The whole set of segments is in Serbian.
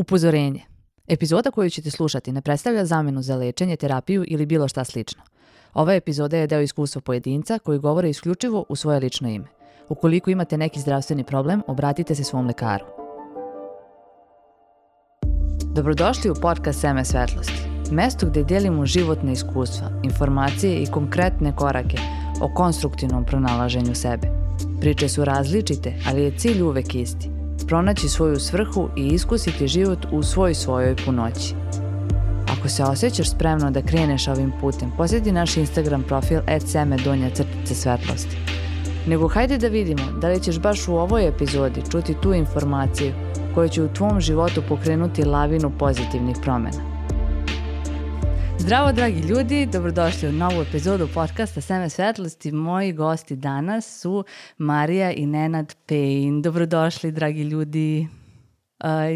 Upozorenje. Epizoda koju ćete slušati ne predstavlja zamenu za lečenje, terapiju ili bilo šta slično. Ova epizoda je deo iskustva pojedinca koji govore isključivo u svoje lično ime. Ukoliko imate neki zdravstveni problem, obratite se svom lekaru. Dobrodošli u podcast Seme svetlosti. Mesto gdje delimo životne iskustva, informacije i konkretne korake o konstruktivnom pronalaženju sebe. Priče su različite, ali je cilj uvek isti. Pronaći svoju svrhu i iskusiti život u svojoj punoći. Ako se osjećaš spremno da kreneš ovim putem, posjeti naš Instagram profil @seme_svetlosti. Nego hajde da vidimo da li ćeš baš u ovoj epizodi čuti tu informaciju koja će u tvom životu pokrenuti lavinu pozitivnih promjena. Zdravo dragi ljudi, dobrodošli u novu epizodu podcasta Seme svetlosti. Moji gosti danas su Marija i Nenad Pejin. Dobrodošli dragi ljudi.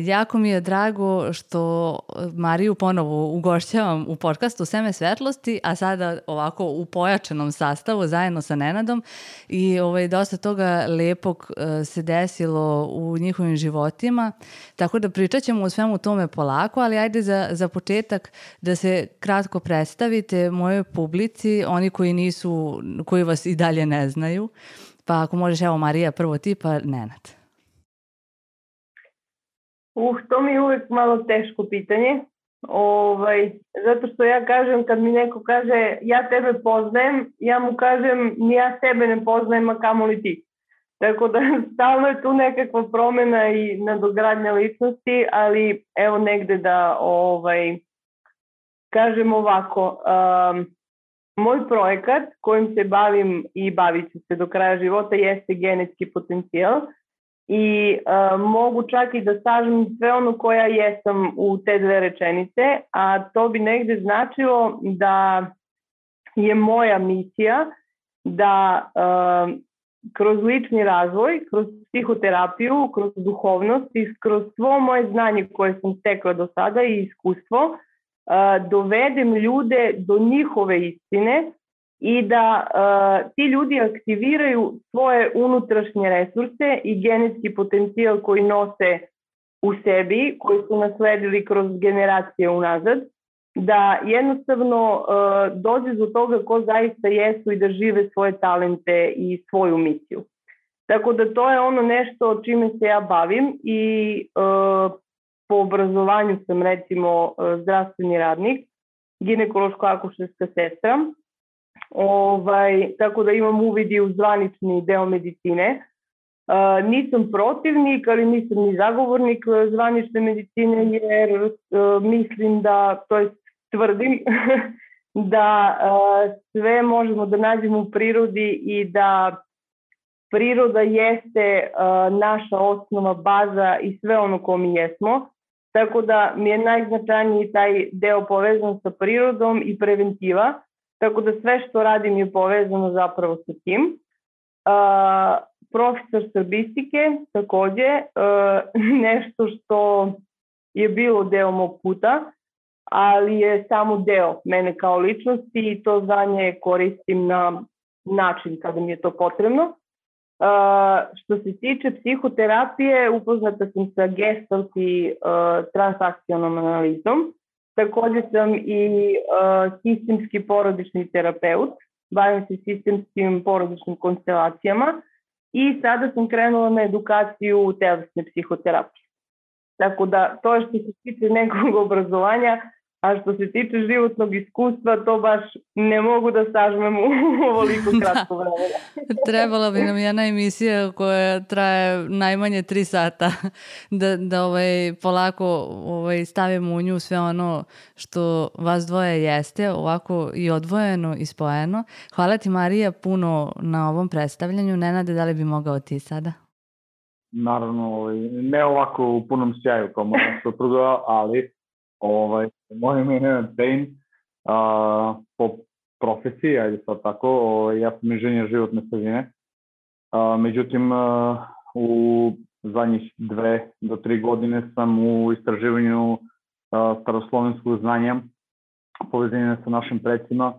Jako mi je drago što Mariju ponovo ugošćavam u podcastu Seme svetlosti, a sada ovako u pojačanom sastavu zajedno sa Nenadom i dosta toga lepog se desilo u njihovim životima, tako da pričat ćemo o svemu tome polako, ali ajde za početak da se kratko predstavite mojoj publici, oni koji vas i dalje ne znaju, pa ako možeš, evo Marija prvo ti, pa Nenad. To mi je uvijek malo teško pitanje, zato što ja kažem, kad mi neko kaže ja tebe poznajem, ja mu kažem ni ja tebe ne poznajem, a kamoli ti. Tako da stalno je tu nekakva promjena i nadogradnja ličnosti, ali evo negde da kažem ovako, moj projekat kojim se bavim i bavit ću se do kraja života jeste genetski potencijal. I mogu čak i da sažem sve ono koja jesam u te dve rečenice, a to bi negde značilo da je moja misija da kroz lični razvoj, kroz psihoterapiju, kroz duhovnost i kroz svo moje znanje koje sam stekla do sada i iskustvo dovedem ljude do njihove istine i da ti ljudi aktiviraju svoje unutrašnje resurse i genetski potencijal koji nose u sebi, koji su nasledili kroz generacije unazad, da jednostavno dođe do toga ko zaista jesu i da žive svoje talente i svoju misiju. Tako da to je ono nešto čime se ja bavim i po obrazovanju sam recimo zdravstveni radnik, ginekološko-akušerska sestra. Tako da imam uvid i u zvanični deo medicine. Nisam protivnik, ali nisam ni zagovornik zvanične medicine, jer mislim da, to jest tvrdim, da sve možemo da nađemo u prirodi i da priroda jeste naša osnova, baza i sve ono ko mi jesmo. Tako da mi je najznačajniji taj deo povezan sa prirodom i preventiva. Tako da sve što radim je povezano zapravo sa tim. Profesor srbistike također, nešto što je bilo deo mog puta, ali je samo deo mene kao ličnosti i to znanje koristim na način kada mi je to potrebno. Što se tiče psihoterapije, upoznata sam sa Gestalt i transakcionalnom analizom. Također sam i sistemski porodični terapeut, bavim se sistemskim porodičnim konstelacijama i sada sam krenula na edukaciju telesne psihoterapije. Tako da to je što se tiče nekog obrazovanja, a što se tiče životnog iskustva, to baš ne mogu da sažmem u ovoliko kratko vremena. Trebala bi nam jedna emisija koja traje najmanje 3 sata da polako stavimo u nju sve ono što vas dvoje jeste, ovako i odvojeno i spojeno. Hvala ti Marija puno na ovom predstavljanju. Nenade, da li bi mogao ti sada? Naravno, ne ovako u punom sjaju kao moja supruga, ali moje ime je Nenad Pejin, po profesiji, ajde sad tako, ja sam inženjer životne sredine. Međutim, u zadnjih 2 do 3 godine sam u istraživanju staroslovenskog znanja, povezivanje sa našim predsima,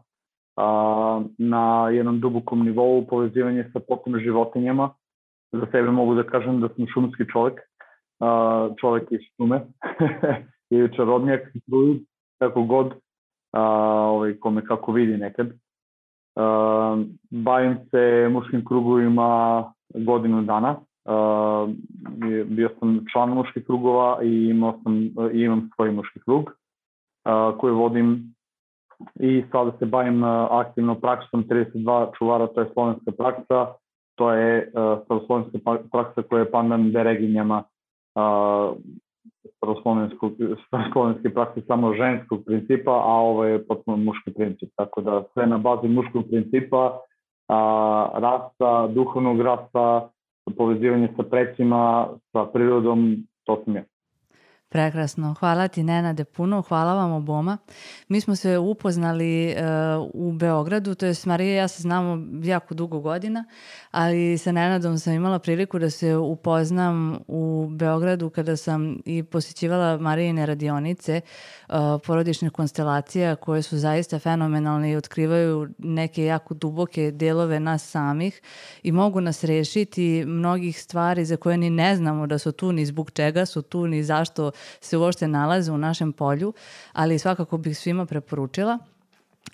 na jednom dubokom nivou, povezivanje sa potpuno životinjama. Za sebe mogu da kažem da sam šumski čovjek čovjek iz šume ili čarobnjak, kako god, kome kako vidi nekad. Bavim se muškim krugovima godinu dana. Bio sam član muških krugova i imam svoj muški krug koji vodim i sada se bavim aktivno praksom 32 čuvara, to je slovenska praksa, to je staroslovenska praksa koja je pandan dereginjama staroslovenske prakse samo ženskog principa, a ovo je potpuno muški princip, tako da sve na bazi muškog principa, rasta, duhovnog rasta, povezivanje sa precima, sa prirodom, to sam ja. Prekrasno. Hvala ti, Nenade, puno. Hvala vam oboma. Mi smo se upoznali u Beogradu, to je Marija i ja se znamo jako dugo godina, ali sa Nenadom sam imala priliku da se upoznam u Beogradu kada sam i posjećivala Marijine radionice porodičnih konstelacija koje su zaista fenomenalne i otkrivaju neke jako duboke delove nas samih i mogu nas rešiti mnogih stvari za koje ni ne znamo da su tu, ni zbog čega su tu, ni zašto se uopšte nalaze u našem polju, ali svakako bih svima preporučila.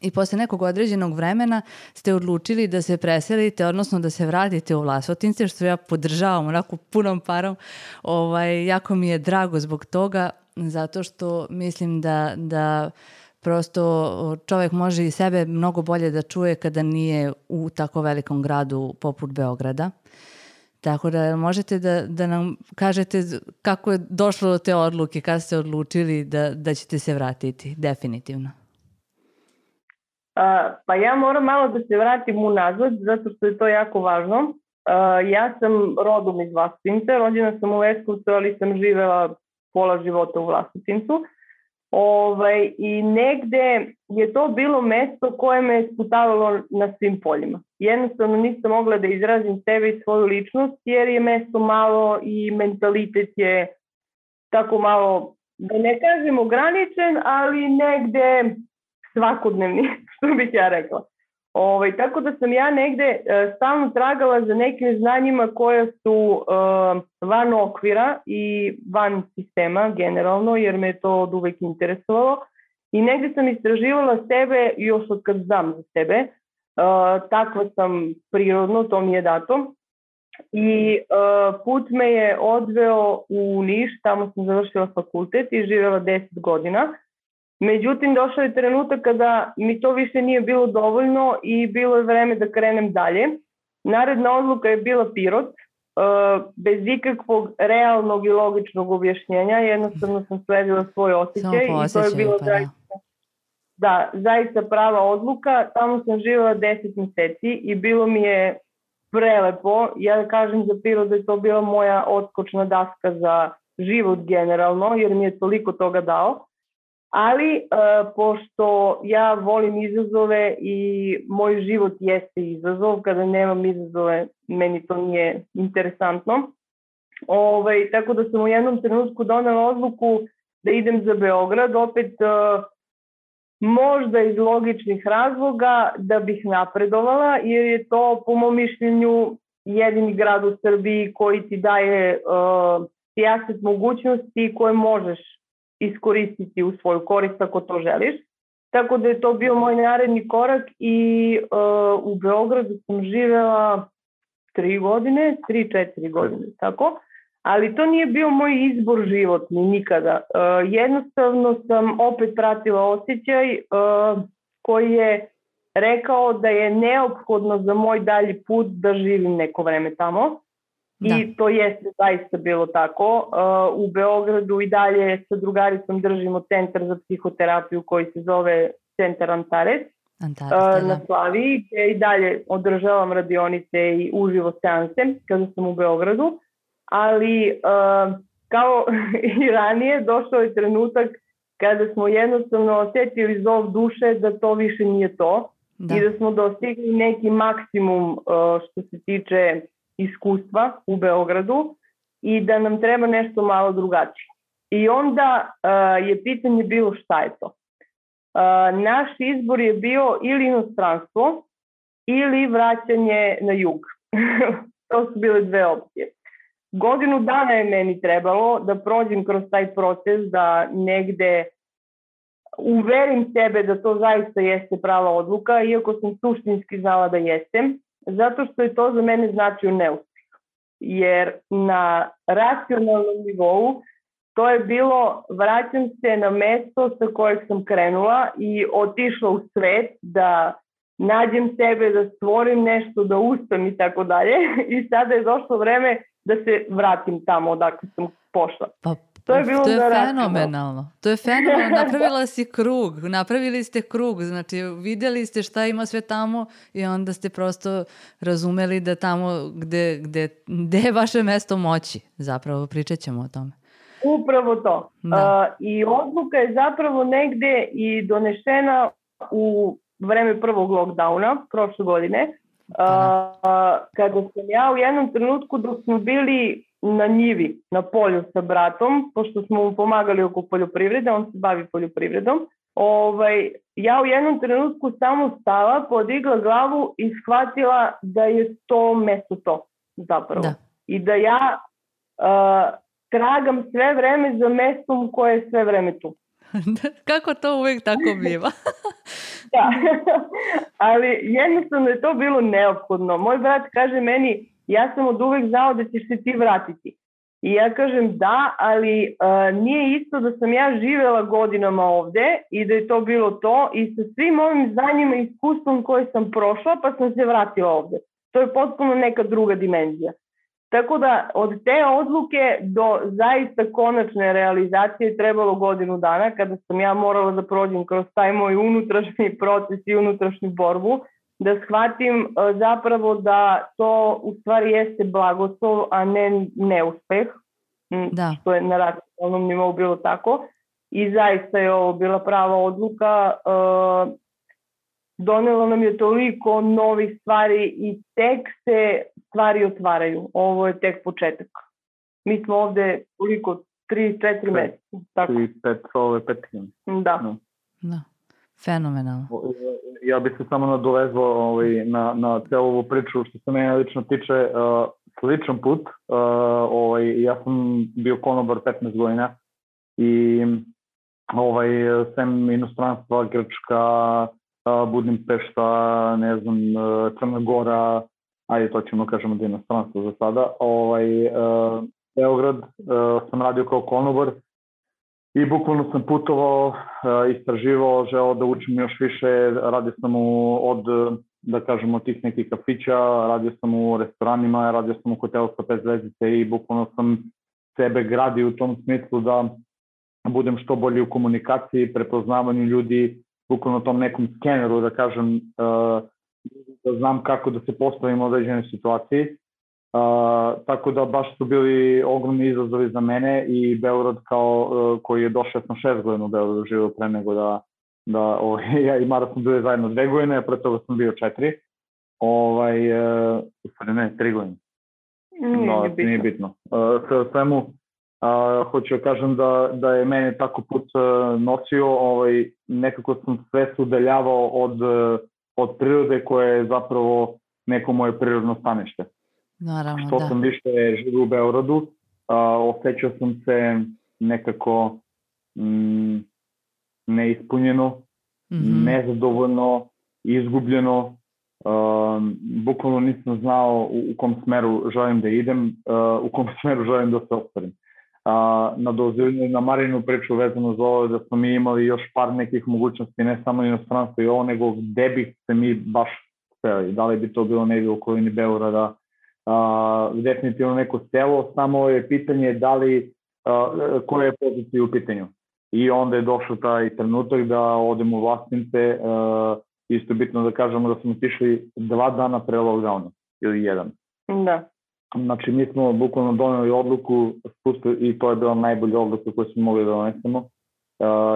I posle nekog određenog vremena ste odlučili da se preselite, odnosno da se vratite u Vlasotince, što ja podržavam onako punom parom. Jako mi je drago zbog toga, zato što mislim da prosto čovjek može i sebe mnogo bolje da čuje kada nije u tako velikom gradu poput Beograda. Tako da možete da nam kažete kako je došlo do te odluke, kada ste odlučili da ćete se vratiti, definitivno. Pa ja moram malo da se vratim unazad, zato što je to jako važno. Ja sam rodom iz Vlasotinca, rođena sam u Leskovcu, ali sam živela pola života u Vlasotincu. I negde je to bilo mesto koje me sputavalo na svim poljima. Jednostavno nisam mogla da izrazim sebe i svoju ličnost, jer je mesto malo i mentalitet je tako malo, da ne kažem ograničen, ali negde svakodnevni, što bih ja rekla. Tako da sam ja negde stalno tragala za nekim znanjima koja su van okvira i van sistema generalno, jer me je to od uvek interesovalo. I negde sam istraživala sebe još od kad znam za sebe. Takva sam prirodno, to mi je dato. I put me je odveo u Niš, tamo sam završila fakultet i živela 10 godina. Međutim, došao je trenutak kada mi to više nije bilo dovoljno i bilo je vreme da krenem dalje. Naredna odluka je bila Pirot, bez ikakvog realnog i logičnog objašnjenja. Jednostavno sam sledila svoj osjećaj i to je bilo zaista prava odluka. Tamo sam živjela 10 meseci i bilo mi je prelepo. Ja kažem za Pirot da je to bila moja odskočna daska za život generalno, jer mi je toliko toga dao. Ali, pošto ja volim izazove i moj život jeste izazov, kada nemam izazove, meni to nije interesantno. Tako da sam u jednom trenutku donela odluku da idem za Beograd, opet možda iz logičnih razloga da bih napredovala, jer je to, po mom mišljenju, jedini grad u Srbiji koji ti daje sijaset mogućnosti koje možeš iskoristiti u svoju korist ako to želiš. Tako da je to bio moj naredni korak i u Beogradu sam živela 3-4 godine, tako. Ali to nije bio moj izbor životni nikada. Jednostavno sam opet pratila osjećaj koji je rekao da je neophodno za moj dalji put da živim neko vreme tamo. I to jeste zaista bilo tako. U Beogradu i dalje sa drugaricom držimo centar za psihoterapiju koji se zove Centar Antares na Slaviji, gdje i dalje održavam radionice i uživo seanse kada sam u Beogradu. Ali kao i ranije došao je trenutak kada smo jednostavno osjetili zov duše da to više nije to i da smo dostigli neki maksimum što se tiče iskustva u Beogradu i da nam treba nešto malo drugačije. I onda je pitanje bilo šta je to. Naš izbor je bio ili inostranstvo ili vraćanje na jug. To su bile dve opcije. godinu dana je meni trebalo da prođem kroz taj proces, da negde uverim sebe da to zaista jeste prava odluka, iako sam suštinski znala da jesem, zato što je to za mene značio neuspeh. Jer na racionalnom nivou to je bilo vraćam se na mesto sa kojeg sam krenula i otišla u svet da nađem sebe, da stvorim nešto, da uspem i tako dalje. I sada je došlo vreme da se vratim tamo odakle sam pošla. Pa, to je fenomenalno. To je fenomenalno. Napravila si krug. Napravili ste krug. Znači, vidjeli ste šta ima sve tamo i onda ste prosto razumeli da tamo gde je vaše mesto moći. Zapravo pričat ćemo o tome. Upravo to. I odluka je zapravo negde i donešena u vreme prvog lockdowna, prošle godine, kada sam ja u jednom trenutku dok smo bili na njivi, na polju sa bratom, pošto smo mu pomagali oko poljoprivrede, on se bavi poljoprivredom, ja u jednom trenutku samo stala, podigla glavu i shvatila da je to mesto to zapravo. Da. I da ja tragam sve vreme za mestom koje je sve vreme tu. Kako to uvijek tako biva? Da, ali jednostavno je to bilo neophodno. Moj brat kaže meni, ja sam od uvek znao da ćeš se ti vratiti. I ja kažem da, ali nije isto da sam ja živela godinama ovde i da je to bilo to i sa svim ovim znanjima i iskustvom koje sam prošla pa sam se vratila ovde. To je potpuno neka druga dimenzija. Tako da od te odluke do zaista konačne realizacije trebalo godinu dana kada sam ja morala da prođem kroz taj moj unutrašnji proces i unutrašnju borbu, da shvatim zapravo da to u stvari jeste blagoslov, a ne neuspeh, što je na racionalnom nivou bilo tako. I zaista je ovo bila prava odluka. Donelo nam je toliko novih stvari i tek se stvari otvaraju. Ovo je tek početak. Mi smo ovde koliko? 3-4 meseca. 5 Da. Fenomenalno. Ja bih se samo nadovezao na celu ovu priču što se mene lično tiče. Sličan put. Ja sam bio konobar 15 godina i sem inostranstva, Grčka, Budimpešta, ne znam, Crna Gora, ajde to ćemo kažemo da je inostranstvo za sada, Beograd sam radio kao konobar i bukvalno sam putovao, istraživao, želeo da učim još više, radio sam od, da kažemo, tih nekih kafića, radio sam u restoranima, radio sam u hotelu sa 5 zvezdice i bukvalno sam sebe gradio u tom smislu da budem što bolji u komunikaciji, prepoznavanju ljudi, bukvalno tom nekom skeneru, da kažem, da znam kako da se postavim u određenoj situaciji. Tako da baš su bili ogromni izazovi za mene i Beograd koji je došao, sam 6 godina u Beogradu živio pre nego da ja i Mara smo bili zajedno 2 godine, a pre toga sam bio 4. Ne, 3 godine. Nije bitno. Sve svemu, hoću da kažem da je mene tako put nosio, nekako sam sve se udaljavao od prirode koje je zapravo neko moje prirodno stanište. Naravno, što sam više živio u Beogradu, osjećao sam se nekako neispunjeno, nezadovoljno, izgubljeno. Bukvalno nisam znao u kom smeru želim da idem, u kom smeru želim da se ostvarim. Na Marinu priču vezano za ovo da smo mi imali još par nekih mogućnosti, ne samo inostranstvo i ovo, nego gde bi se mi baš speli. Da li bi to bilo negdje u okolini Beograda, definitivno neko selo, samo je pitanje da li, koje je pozicija u pitanju. I onda je došao taj trenutak da odemo u Vlasince, isto bitno da kažemo da smo otišli 2 dana pre lockdowna, ili 1. Da. Znači, mi smo bukvalno doneli odluku i to je bila najbolja odluka koju smo mogli da donesemo,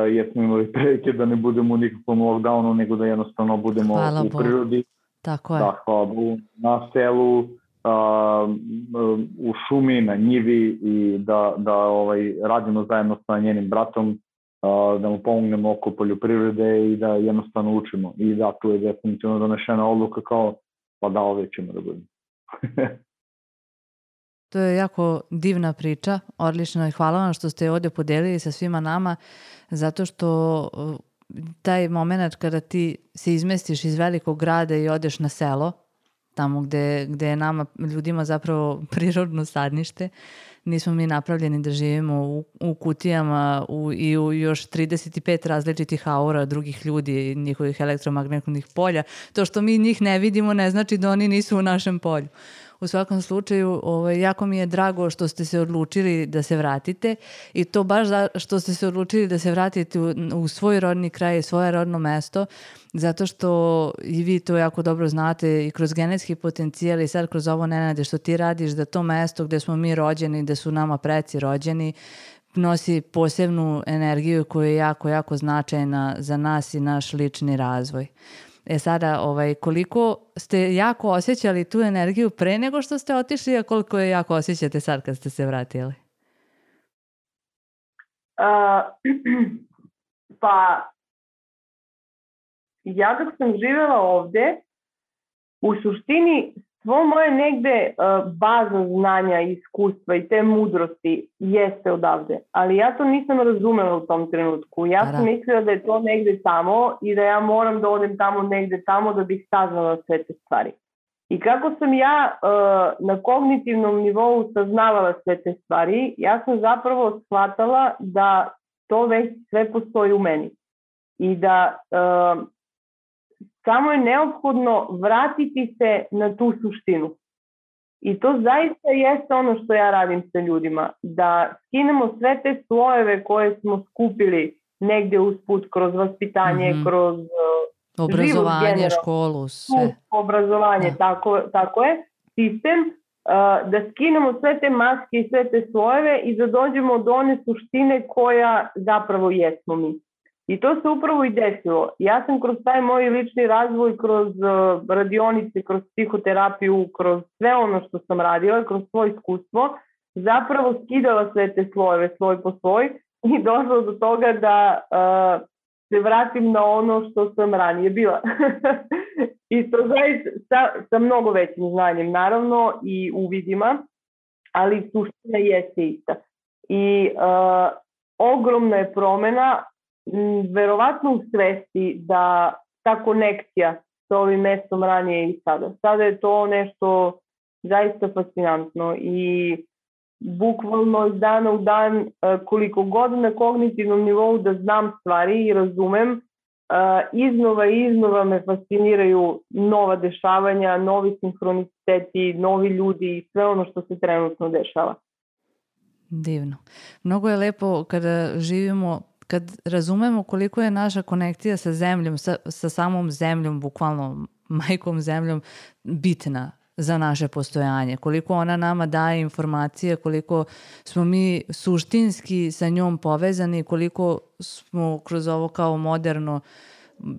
jer smo imali prilike da ne budemo u nikakvom lockdownu, nego da jednostavno budemo u prirodi. Tako je. Da, hvala Bogu, na selu, u šumi, na njivi i da radimo zajedno sa njenim bratom, da mu pomognemo oko poljoprivrede i da jednostavno učimo. I da, tu je definitivno donešena odluka kao, pa da, ovdje ćemo da budemo. To je jako divna priča, odlično i hvala vam što ste je ovdje podelili sa svima nama, zato što taj moment kada ti se izmestiš iz velikog grada i odeš na selo, tamo gde je nama ljudima zapravo prirodno sadnište, nismo mi napravljeni da živimo u kutijama i u još 35 različitih aura drugih ljudi i njihovih elektromagnetnih polja. To što mi njih ne vidimo ne znači da oni nisu u našem polju. U svakom slučaju, jako mi je drago što ste se odlučili da se vratite i to baš što ste se odlučili da se vratite u svoj rodni kraj i svoje rodno mesto, zato što i vi to jako dobro znate i kroz genetski potencijal i sad kroz ovo, Nenade, što ti radiš, da to mesto gde smo mi rođeni, gde su nama preci rođeni, nosi posebnu energiju koja je jako, jako značajna za nas i naš lični razvoj. Sada, koliko ste jako osjećali tu energiju pre nego što ste otišli, a koliko je jako osjećate sad kad ste se vratili? Pa, ja dok sam živjela ovde, u suštini svo moje negde bazno znanja, iskustva i te mudrosti jeste odavde. Ali ja to nisam razumela u tom trenutku. Ja sam mislila da je to negde tamo i da ja moram da odem tamo negde tamo da bih saznala sve te stvari. I kako sam ja na kognitivnom nivou saznavala sve te stvari, ja sam zapravo shvatala da to već sve postoji u meni. I da samo je neophodno vratiti se na tu suštinu. I to zaista jeste ono što ja radim sa ljudima. Da skinemo sve te slojeve koje smo skupili negdje usput kroz vaspitanje, kroz obrazovanje, školu, sve. Obrazovanje, tako je. Sistem, da skinemo sve te maske i sve te slojeve i da dođemo do one suštine koja zapravo jesmo mi. I to se upravo i desilo. Ja sam kroz taj moj lični razvoj, kroz radionice, kroz psihoterapiju, kroz sve ono što sam radila, kroz svoje iskustvo, zapravo skidala sve te slojeve svoj po svoj i došla do toga da se vratim na ono što sam ranije bila. I to zaista sa mnogo većim znanjem, naravno, i uvidima, ali suština jeste ista. I ogromna je promena, verovatno u svesti, da ta konekcija sa ovim mestom ranije i sada. Sada je to nešto zaista fascinantno i bukvalno iz dana u dan, koliko god na kognitivnom nivou da znam stvari i razumem, iznova me fasciniraju nova dešavanja, novi sinhroniciteti, novi ljudi i sve ono što se trenutno dešava. Divno. Mnogo je lepo kada živimo, kad razumemo koliko je naša konekcija sa zemljom, sa samom zemljom, bukvalno majkom zemljom, bitna za naše postojanje, koliko ona nama daje informacije, koliko smo mi suštinski sa njom povezani, koliko smo kroz ovo kao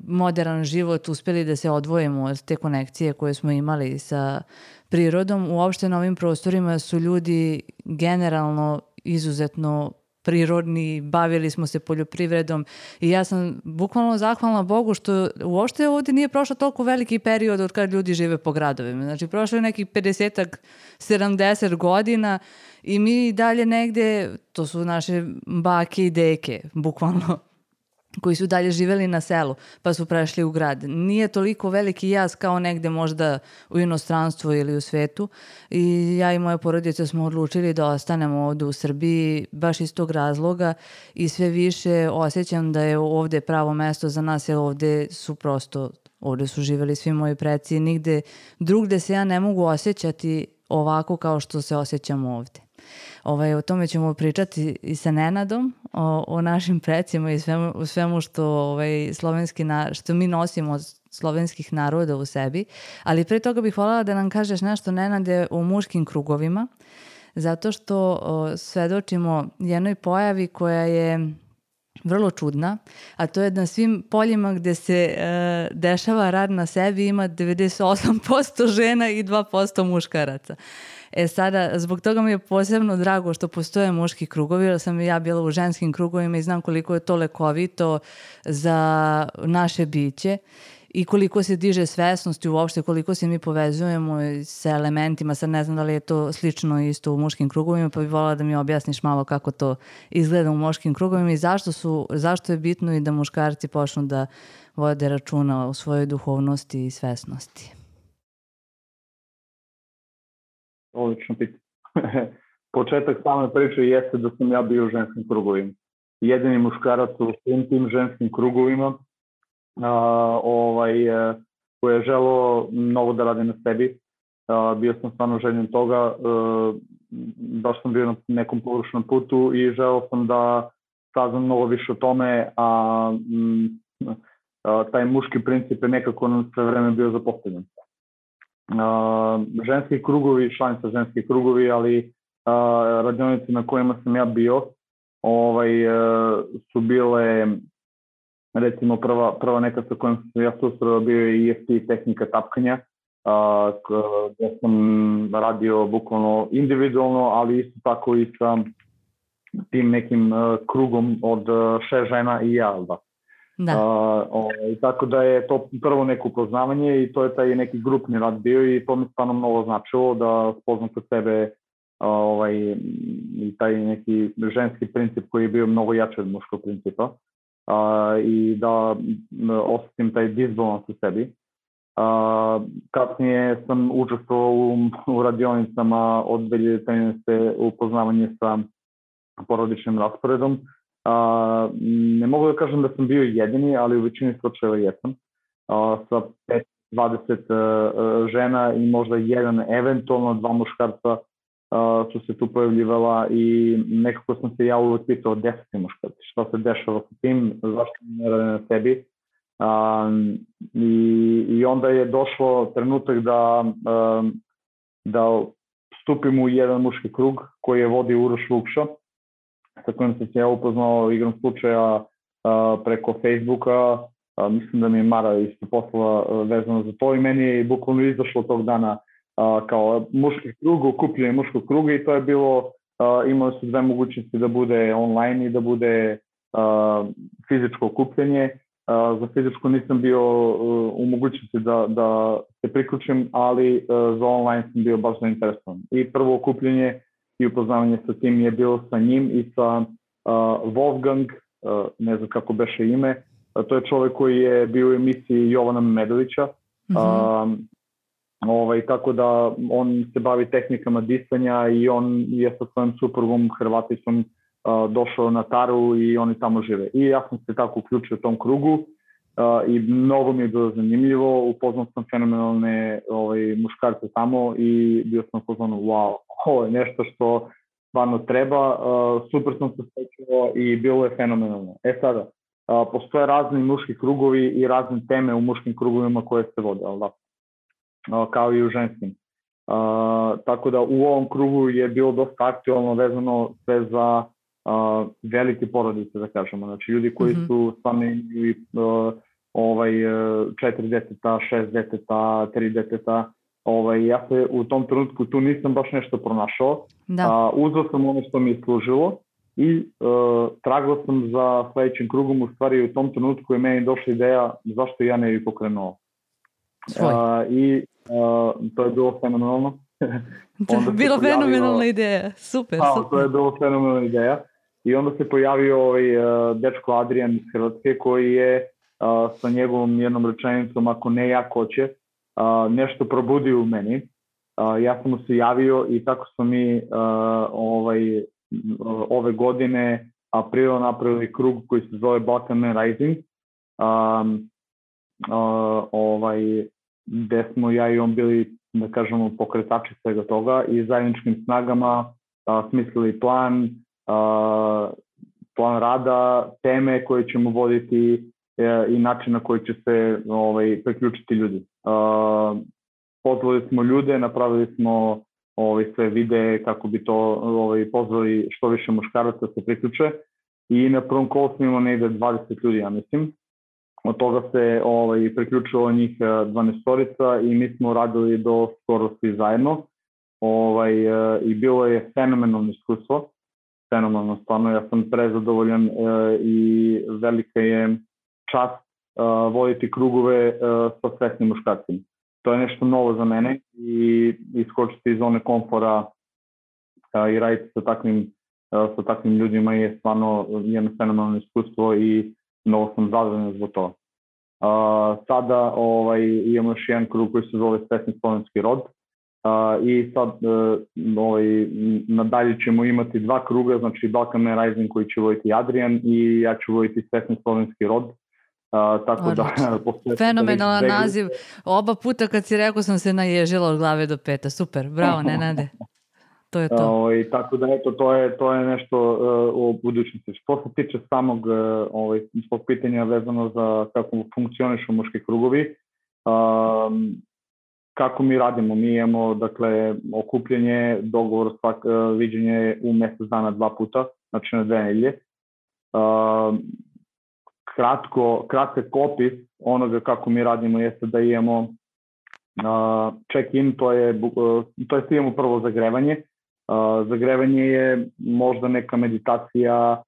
modern život uspjeli da se odvojimo od te konekcije koje smo imali sa prirodom. Uopšte na ovim prostorima su ljudi generalno izuzetno prirodni, bavili smo se poljoprivredom i ja sam bukvalno zahvalna Bogu što uopšte ovdje nije prošlo toliko veliki period od kad ljudi žive po gradovima. Znači prošlo je nekih 50-ak, 70 godina i mi dalje negde, to su naše bake i deke, bukvalno, koji su dalje živeli na selu pa su prešli u grad. Nije toliko veliki jaz kao negde možda u inostranstvu ili u svetu i ja i moja porodica smo odlučili da ostanemo ovdje u Srbiji baš iz tog razloga i sve više osjećam da je ovdje pravo mesto za nas jer ovdje su živeli svi moji preci i nigde drugde se ja ne mogu osjećati ovako kao što se osjećam ovdje. O tome ćemo pričati i sa Nenadom, o našim precima i svemu što, što mi nosimo od slovenskih naroda u sebi. Ali pre toga bih voljela da nam kažeš nešto, Nenade, o muškim krugovima, zato što svedočimo jednoj pojavi koja je vrlo čudna, a to je na svim poljima gde se dešava rad na sebi ima 98% žena i 2% muškaraca. Sada, zbog toga mi je posebno drago što postoje muški krugovi, jer sam i ja bila u ženskim krugovima i znam koliko je to lekovito za naše biće. i koliko se diže svesnost i uopšte koliko se mi povezujemo sa elementima. Sad ne znam da li je to slično isto u muškim krugovima, pa bih voljela da mi objasniš malo kako to izgleda u muškim krugovima i zašto je bitno i da muškarci počnu da vode računa o svojoj duhovnosti i svesnosti. Odlično pitanje. Početak same priče jeste da sam ja bio u ženskim krugovima. Jedini muškarac u svim tim ženskim krugovima koji je želeo mnogo da radi na sebi. Bio sam stvarno željen toga, baš sam bio na nekom pogrešnom putu i želeo sam da saznam mnogo više o tome, a taj muški princip je nekako na sve vreme bio zapostavljen. Ženski krugovi, članica ženski krugovi, ali radionice na kojima sam ja bio su bile, recimo prva neka sa kojom sam ja susreo bio je EFT tehnika tapkanja, gdje sam radio bukvalno individualno, ali isto tako i sa tim nekim krugom od 6 žena i ja, da. Tako da je to prvo neko upoznavanje i to je taj neki grupni rad bio i to mi stvarno mnogo značilo da spoznam kod sebe i taj neki ženski princip koji je bio mnogo jači od muškog principa i da osjetim taj disbalans u sebi. Kasnije sam učestvovao u radionicama od 2013. upoznavanje sa porodičnim rasporedom. Ne mogu da kažem da sam bio jedini, ali u većini slučajeva jesam. Sa 20 žena i možda jedan, eventualno 2 muškarca su se tu pojavljivala i nekako sam se ja uvijek pitao 10 muškarci, šta se dešava sa tim, zašto ne rade na sebi. I onda je došlo trenutak da stupim u jedan muški krug koji je vodio Uroš Vukša, sa kojim sam se ja upoznao igrom slučaja preko Facebooka. Mislim da mi je Mara isto poslala vezano za to i meni je bukvalno izašlo tog dana kao muški krug, okupljanje muškog kruga i to je bilo, imali su 2 mogućnosti da bude online i da bude fizičko okupljanje. Za fizičko nisam bio u mogućnosti da se priključim, ali za online sam bio baš zainteresovan. I prvo okupljanje i upoznavanje sa tim je bilo sa njim i sa Wolfgang, ne znam kako beše ime, to je čovjek koji je bio u emisiji Jovana Medovića, tako da on se bavi tehnikama disanja i on je sa svojom suprugom Hrvaticom došao na Taru i oni tamo žive. I ja sam se tako uključio u tom krugu i mnogo mi je bilo zanimljivo, upoznao sam fenomenalne muškarce tamo i bio sam upoznao, wow, ovo je nešto što stvarno treba, super sam se srećao i bilo je fenomenalno. Sada, postoje razni muški krugovi i razne teme u muškim krugovima koje se vode, ali da, kao i u ženskim. Tako da u ovom krugu je bilo dosta aktualno vezano sve za velike porodice, da kažemo. Znači, ljudi koji su stvarno imali 4 deteta, 6 deteta, 3 deteta. Ja se u tom trenutku tu nisam baš nešto pronašao. Uzeo sam ono što mi je služilo i tragao sam za sledećim krugom. U stvari u tom trenutku je meni došla ideja zašto ja ne bi pokrenuo. I to je bilo fenomenalno. Bilo fenomenalna ideja, super. To je bilo fenomenalna ideja. I onda se pojavio dečko Adrian iz Hrvatske koji je sa njegovom jednom rečenicom, ako ne ja ko će, nešto probudio u meni. Ja sam mu se javio i tako smo mi ove godine aprila napravili krug koji se zove Balkan Man Rising, gde smo ja i on bili, da kažemo, pokretači svega toga i zajedničkim snagama smislili plan rada, teme koje ćemo voditi i način na koji će se priključiti ljudi. Pozvali smo ljude, napravili smo sve videe kako bi to pozvali što više muškaraca se priključe i na prvom kolu smo imali negde 20 ljudi, ja mislim. Od toga se priključilo njih 12-orica i mi smo radili do skoro svi zajedno. I bilo je fenomenalno iskustvo. Fenomenalno, stvarno, ja sam prezadovoljan i velika je čast voditi krugove sa svesnim muškarcima. To je nešto novo za mene i iskočiti iz zone komfora i raditi sa takvim ljudima je stvarno jedno fenomenalno iskustvo i mnogo sam zadovoljan zbog toga. Sada imamo još jedan krug koji se zove Svesni slovenski rod i sad nadalje ćemo imati 2 kruga, znači Balkan Man Rising koji će voditi Adrian i ja ću voditi Svesni slovenski rod. Tako da, fenomenalan naziv. Oba puta kad si rekao sam se naježila od glave do peta. Super, bravo Nenade. To je to. Tako da eto, to je nešto u budućnosti. Što se tiče samog pitanja vezano za kako funkcionišu muški krugovi, kako mi radimo? Mi imamo, dakle, okupljanje, dogovor, viđenje u mjesec dana 2 puta, znači na 2 nedelje. Kratak opis onoga kako mi radimo jeste da imamo check-in, to je imamo prvo zagrevanje. Zagrevanje je možda neka meditacija,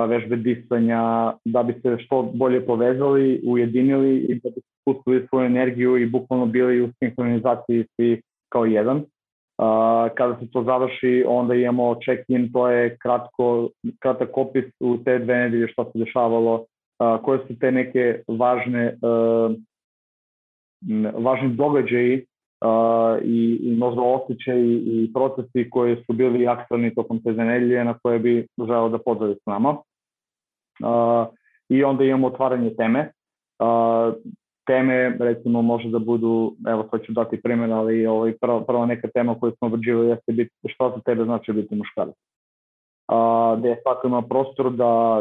vežbe disanja, da bi se što bolje povezali, ujedinili i da bi spustili svoju energiju i bukvalno bili u sinhronizaciji svi kao jedan. Kada se to završi, onda imamo check-in, to je kratak opis u te 2 nedelje što se dešavalo, koje su te neke važni događaji i možda osjećaji i procesi koji su bili aktualni tokom te nedelje na koje bi želeo da podeli s nama. I onda imamo otvaranje teme. Teme, recimo, može da budu, evo sad ću dati primjer, ali prva neka tema koju smo obrađivali jeste što za tebe znači biti muškarac. Da je svako ima prostor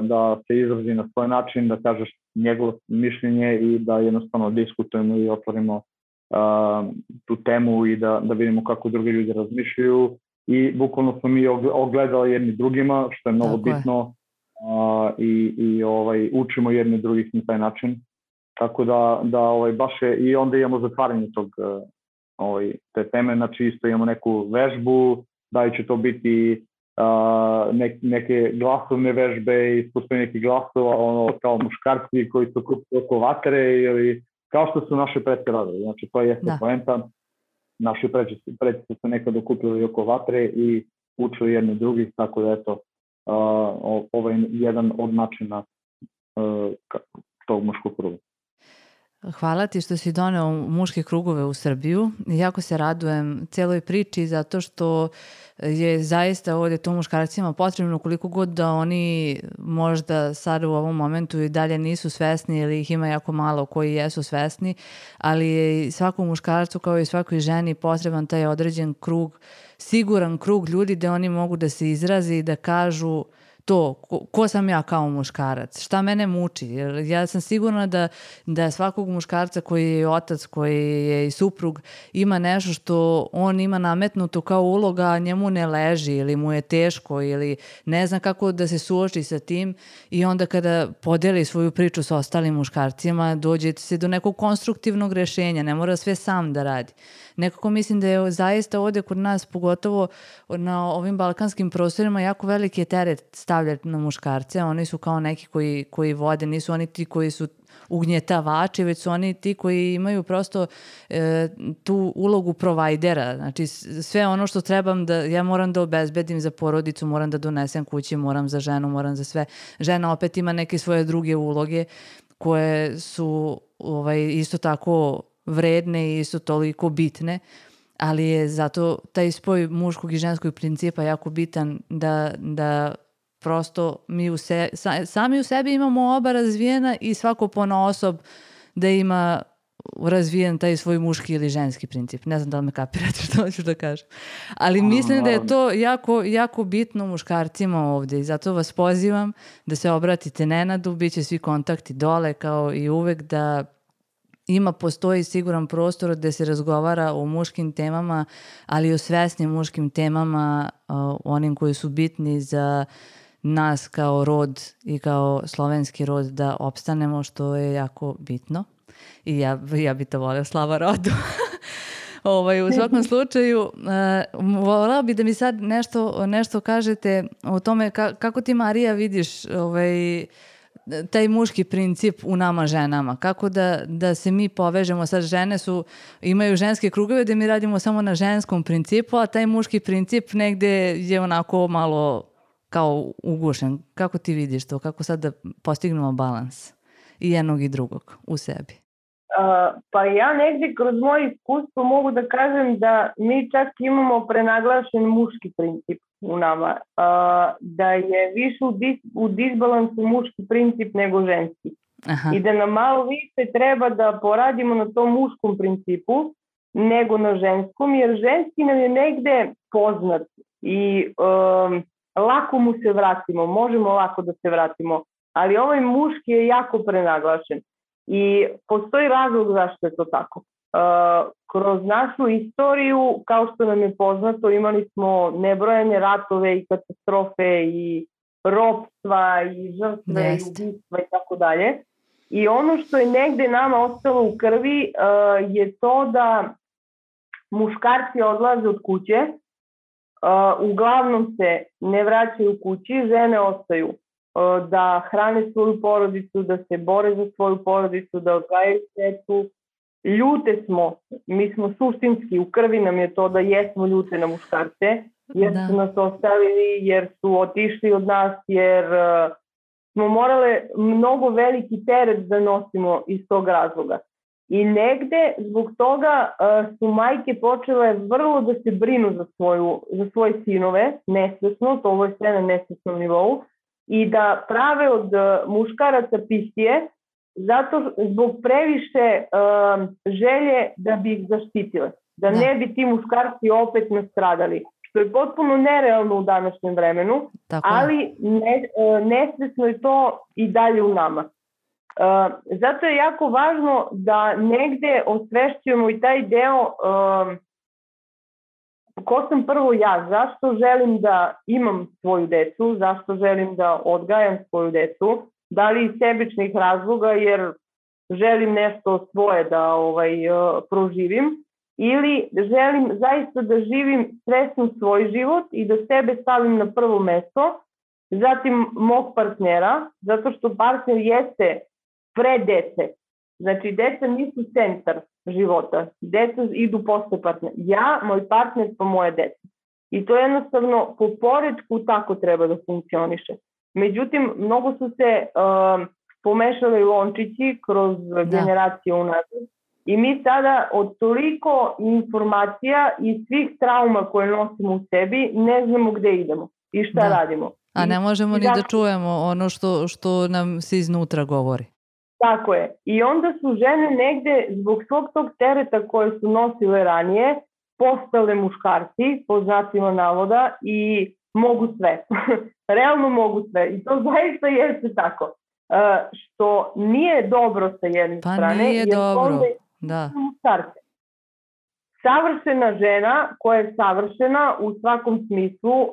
da se izrazi na svoj način, da kažeš njegovo mišljenje i da jednostavno diskutujemo i otvorimo tu temu i da vidimo kako drugi ljudi razmišljaju i bukvalno smo mi ogledali jedni drugima, što je mnogo bitno i učimo jedni drugih na taj način. Tako da baš je, i onda imamo zatvaranje te teme, znači isto imamo neku vežbu, da li će to biti neke glasovne vežbe, ispuštanje nekih glasova, kao muškarci koji su kupili oko vatre ili kao što su naše pretke radili. Znači to je poenta. Naši pretke su se nekada okupili oko vatre i učili jedni drugih, tako da eto, ovo je jedan od načina tog muškog kruga. Hvala ti što si doneo muške krugove u Srbiju. Jako se radujem celoj priči zato što je zaista ovdje to muškarcima potrebno, koliko god da oni možda sad u ovom momentu i dalje nisu svesni ili ih ima jako malo koji jesu svesni, ali je svakom muškarcu kao i svakoj ženi potreban taj određen krug, siguran krug ljudi gde oni mogu da se izrazi i da kažu to, ko sam ja kao muškarac, šta mene muči. Jer ja sam sigurna da svakog muškarca koji je otac, koji je i suprug, ima nešto što on ima nametnuto kao uloga, a njemu ne leži ili mu je teško ili ne zna kako da se suoči sa tim i onda kada podeli svoju priču sa ostalim muškarcima, dođe se do nekog konstruktivnog rešenja, ne mora sve sam da radi. Nekako mislim da je zaista ovdje kod nas, pogotovo na ovim balkanskim prostorima, jako veliki je teret stavljati na muškarce. Oni su kao neki koji vode, nisu oni ti koji su ugnjetavači, već su oni ti koji imaju prosto tu ulogu provajdera. Znači sve ono što trebam ja moram da obezbedim za porodicu, moram da donesem kući, moram za ženu, moram za sve. Žena opet ima neke svoje druge uloge koje su isto tako vredne i isto toliko bitne, ali je zato taj spoj muškog i ženskog principa jako bitan da prosto mi sami u sebi imamo oba razvijena i svako ponaosob da ima razvijen taj svoj muški ili ženski princip. Ne znam da li me kapirate što hoću da kažem. Ali mislim da je to jako, jako bitno muškarcima ovdje i zato vas pozivam da se obratite Nenadu, bit će svi kontakti dole kao i uvek, da postoji siguran prostor gde se razgovara o muškim temama, ali i o svesnim muškim temama, onim koji su bitni za nas kao rod i kao slovenski rod da opstanemo, što je jako bitno. I ja bi to voleo, slava rodu. U svakom slučaju, voleo bi da mi sad nešto kažete o tome kako ti, Marija, vidiš taj muški princip u nama ženama? Kako da se mi povežemo? Sad žene imaju ženske krugove da mi radimo samo na ženskom principu, a taj muški princip negde je onako malo kao ugušen. Kako ti vidiš to? Kako sad da postignemo balans i jednog i drugog u sebi? Pa ja negdje kroz moje iskustvo mogu da kažem da mi čak imamo prenaglašen muški princip u nama, da je više u disbalansu muški princip nego ženski. Aha. I da nam malo više treba da poradimo na tom muškom principu nego na ženskom, jer ženski nam je negde poznat i lako mu se vratimo, možemo lako da se vratimo, ali ovaj muški je jako prenaglašen. I postoji razlog zašto je to tako. Kroz našu istoriju, kao što nam je poznato, imali smo nebrojene ratove i katastrofe i ropstva i žrtve i ubistva i tako dalje. I ono što je negde nama ostalo u krvi je to da muškarci odlaze od kuće, uglavnom se ne vraćaju kući, žene ostaju da hrane svoju porodicu, da se bore za svoju porodicu, da odgajaju djecu. Ljute smo, mi smo suštinski, u krvi nam je to da jesmo ljute na muškarce, jer su nas ostavili, jer su otišli od nas, jer smo morale mnogo veliki teret da nosimo iz tog razloga. I negde zbog toga su majke počele vrlo da se brinu za svoje sinove, nesvesno, to ovo je sve na nesvesnom nivou, i da prave od muškaraca pisije, zato zbog previše želje da bi ih zaštitile, da ne bi ti muškarci opet nastradali, što je potpuno nerealno u današnjem vremenu, ali nesvesno je to i dalje u nama. Zato je jako važno da negde osvešćujemo i taj deo ko sam prvo ja, zašto želim da imam svoju decu, zašto želim da odgajam svoju decu, da li iz sebičnih razloga jer želim nešto svoje da proživim, ili želim zaista da živim svesno svoj život i da sebe stavim na prvo mesto, zatim mog partnera, zato što partner jeste pre dece. Znači, deca nisu centar života. Deca idu posle partnera. Ja, moj partner, pa moje dece. I to jednostavno po poretku tako treba da funkcioniše. Međutim, mnogo su se pomešali lončići kroz generacije unazad. I mi sada od toliko informacija i svih trauma koje nosimo u sebi ne znamo gde idemo i šta radimo. A ne možemo ni da čujemo ono što nam se iznutra govori. Tako je. I onda su žene negde zbog svog tog tereta koje su nosile ranije postale muškarci, po znacima navoda, i mogu sve. Realno mogu sve. I to zaista jeste tako. Što nije dobro sa jedne strane. Pa nije dobro. Da. Muškarce. Savršena žena koja je savršena u svakom smislu,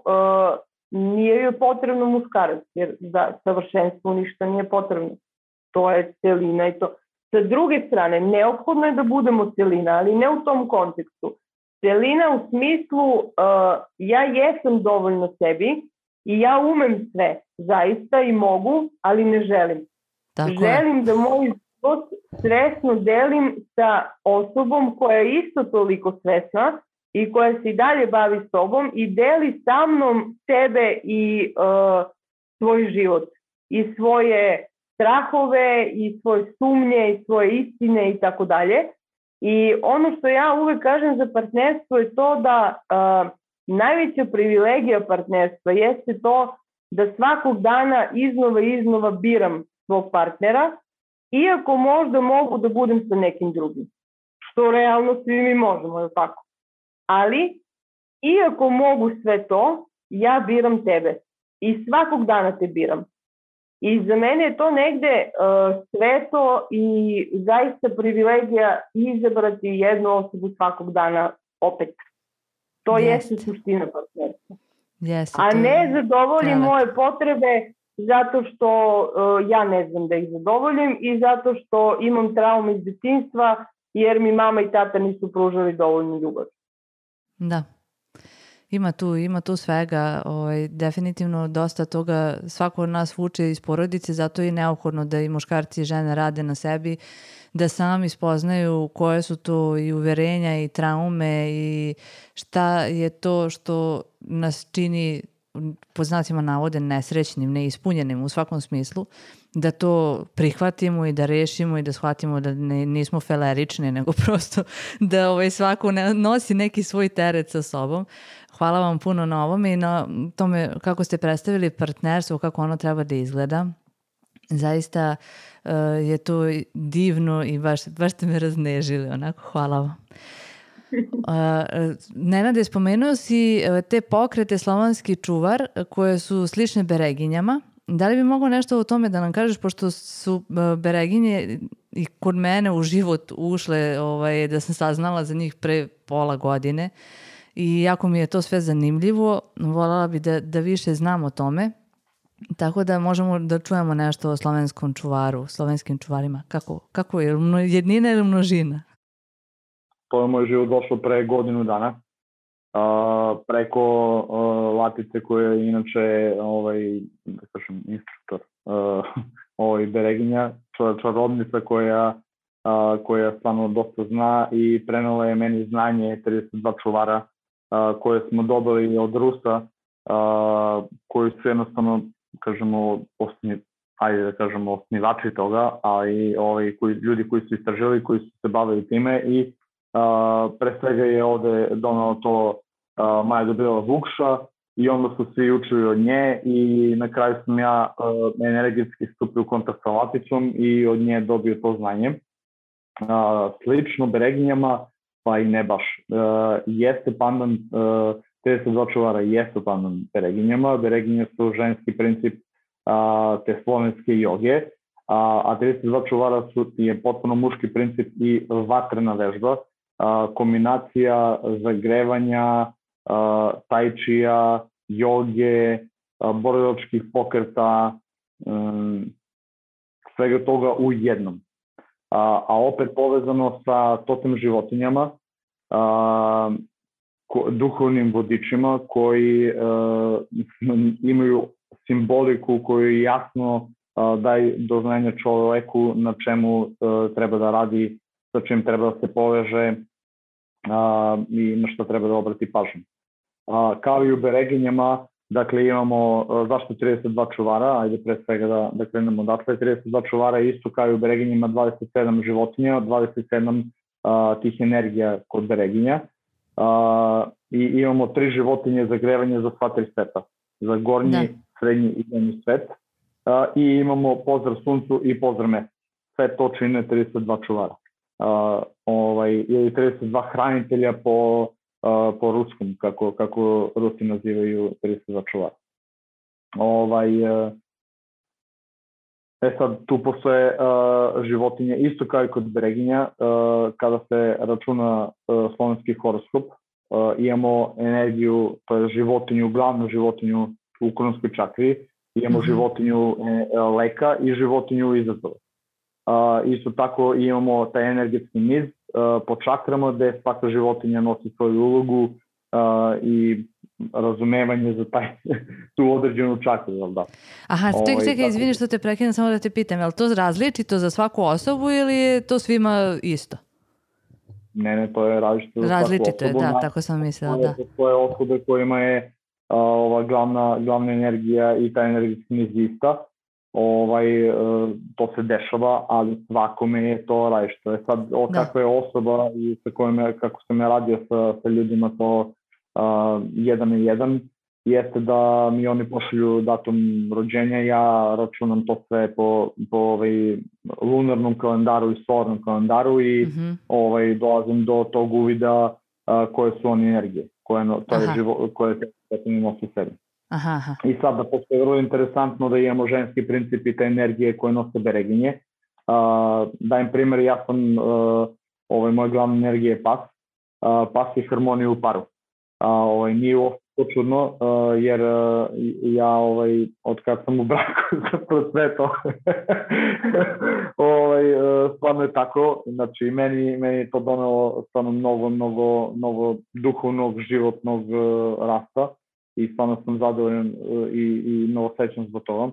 nije joj potrebno muškarac, jer za savršenstvo ništa nije potrebno. To je celina i to. Sa druge strane, neophodno je da budemo celina, ali ne u tom kontekstu. Celina u smislu ja jesam dovoljno sebi i ja umem sve, zaista i mogu, ali ne želim. Želim da moj život svesno delim sa osobom koja je isto toliko svesna i koja se i dalje bavi sobom i deli sa mnom sebe i svoj život i svoje strahove i svoje sumnje i svoje istine i tako dalje. I ono što ja uvek kažem za partnerstvo je to da najveća privilegija partnerstva jeste to da svakog dana iznova biram svog partnera, iako možda mogu da budem sa nekim drugim. Što realno svi mi možemo, je tako? Ali, iako mogu sve to, ja biram tebe. I svakog dana te biram. I za mene je to negde sveto i zaista privilegija izabrati jednu osobu svakog dana opet. To jeste suština partnerstva. A ne zadovoljim moje potrebe zato što ja ne znam da ih zadovoljim i zato što imam traume iz detinjstva jer mi mama i tata nisu pružali dovoljnu ljubav. Da. Ima tu svega, definitivno dosta toga svako od nas vuče iz porodice, zato je neophodno da i muškarci i žene rade na sebi, da sami spoznaju koje su to i uverenja i traume i šta je to što nas čini, po znacima navode, nesrećnim, neispunjenim u svakom smislu, da to prihvatimo i da rešimo i da shvatimo da nismo felerični, nego prosto da svako nosi neki svoj teret sa sobom. Hvala vam puno na ovome i na tome kako ste predstavili partnerstvo, kako ono treba da izgleda. Zaista je to divno i baš ste me raznežili, onako, hvala vam. Nenade, spomenuo si te pokrete Slovanski čuvar koje su slične Bereginjama. Da li bi mogao nešto o tome da nam kažeš, pošto su Bereginje i kod mene u život ušle, da sam saznala za njih pre pola godine i jako mi je to sve zanimljivo. Voljela bi da više znam o tome, tako da možemo da čujemo nešto o slovenskom čuvaru, slovenskim čuvarima. Kako je, jednina ili množina? To je moj život došlo pre godinu dana. Preko Latice koja je inače instruktor Bereginja, čarobnica koja stvarno dosta zna i prenela je meni znanje 32 čuvara koje smo dobili od Rusa, koji su jednostavno, osnivači toga, a i ljudi koji su istražili, koji su se bavili time i pre svega je ovde donao to Maja Gabriela Vukša i onda su svi učili od nje i na kraju sam ja energetski stupio u kontakt sa Laticom i od nje dobio to znanje. Slično Bereginjama, pa i ne baš. Jeste pandan, 32 čuvara jeste pandan Bereginjama. Bereginje su ženski princip te slovenske joge, a 32 čuvara je potpuno muški princip i vatrena vežba. Kombinacija zagrevanja, tajčija, joge, borilačkih pokreta, svega toga u jednom. A opet povezano sa totem životinjama, duhovnim vodičima koji imaju simboliku koju jasno daje do znanja čoveku na čemu treba da radi, sa čim treba da se poveže i na što treba da obrati pažnju. Kao i u Bereginjama, dakle imamo zašto 32 čuvara, ajde pre svega da krenemo odatle, 32 čuvara isto kao i u Bereginjama 27 životinja, 27 tih energija kod Bereginja i imamo 3 životinje za grevanje za sva 3 sveta, za gornji, srednji i donji svet i imamo pozdrav suncu i pozdrav mesecu. Sve to čine 32 čuvara. Ili 32 hranitelja po ruskom, kako Rusi nazivaju 32 čuvara. Sad tu postoje životinje, isto kao i kod Bereginja, kada se računa slovenski horoskop, imamo energiju, to je životinju, glavnu životinju u kronskoj čakri, imamo životinju leka i životinju izazova. Isto tako imamo taj energetski niz po čakrama gde svaka životinja nosi svoju ulogu i razumevanje za tu određenu čakru, jel da? Aha, čekaj, izvini što te prekinem, samo da te pitam, je li to različito za svaku osobu ili je to svima isto? Ne, to je različito za svaku osobu. Različito je, da, tako sam mislila, da. To je osobe kojima je ova glavna energija i ta energetski niz ista. To se dešava, ali svakome je to različito. Sad, kakva je osoba i sa kojima, kako sam ja radio sa ljudima to jedan na jedan, jeste da mi oni pošalju datum rođenja, ja računam to sve po lunarnom kalendaru i solarnom kalendaru i dolazim do tog uvida koje su oni energije, koje te nosi sebi. I sad da postoje vrlo interesantno da imamo ženski princip i te energije koje nose Bereginje. Dajem primjer, ja sam, moja glavna energija je pas. Pas je harmonija u paru. Nije uopšte to čudno, jer ja od kad sam u braku zapravo sve to stvarno je tako, znači meni je to donelo stvarno mnogo duhovnog, životnog rasta i stvarno sam zadovoljan i mnogo srećan zbog toga.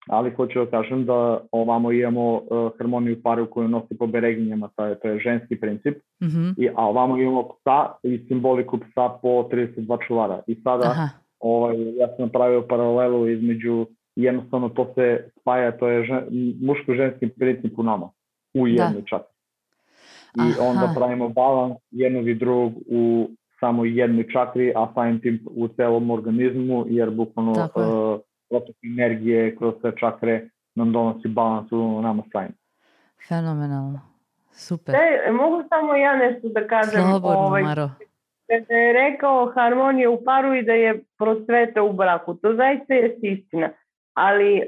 Ali hoću da kažem da ovamo imamo harmoniju paru koju nosi po bereginjama, to je ženski princip, a ovamo imamo psa i simboliku psa po 32 čuvara. I sada ja sam napravio paralelu između, jednostavno to se spaja, to je muško-ženski princip u nama, u jednoj čakri. I onda pravimo balans jednog i drugog u samo jednoj čakri, a samim tim u celom organizmu, jer bukvalno protok energije kroz sve čakre nam donosi balans u nama samim. Fenomenalno. Super. Mogu samo ja nešto da kažem? Slobodno, Maro. Da je rekao harmonija u paru i da je prosveta u braku. To zaista je istina. Ali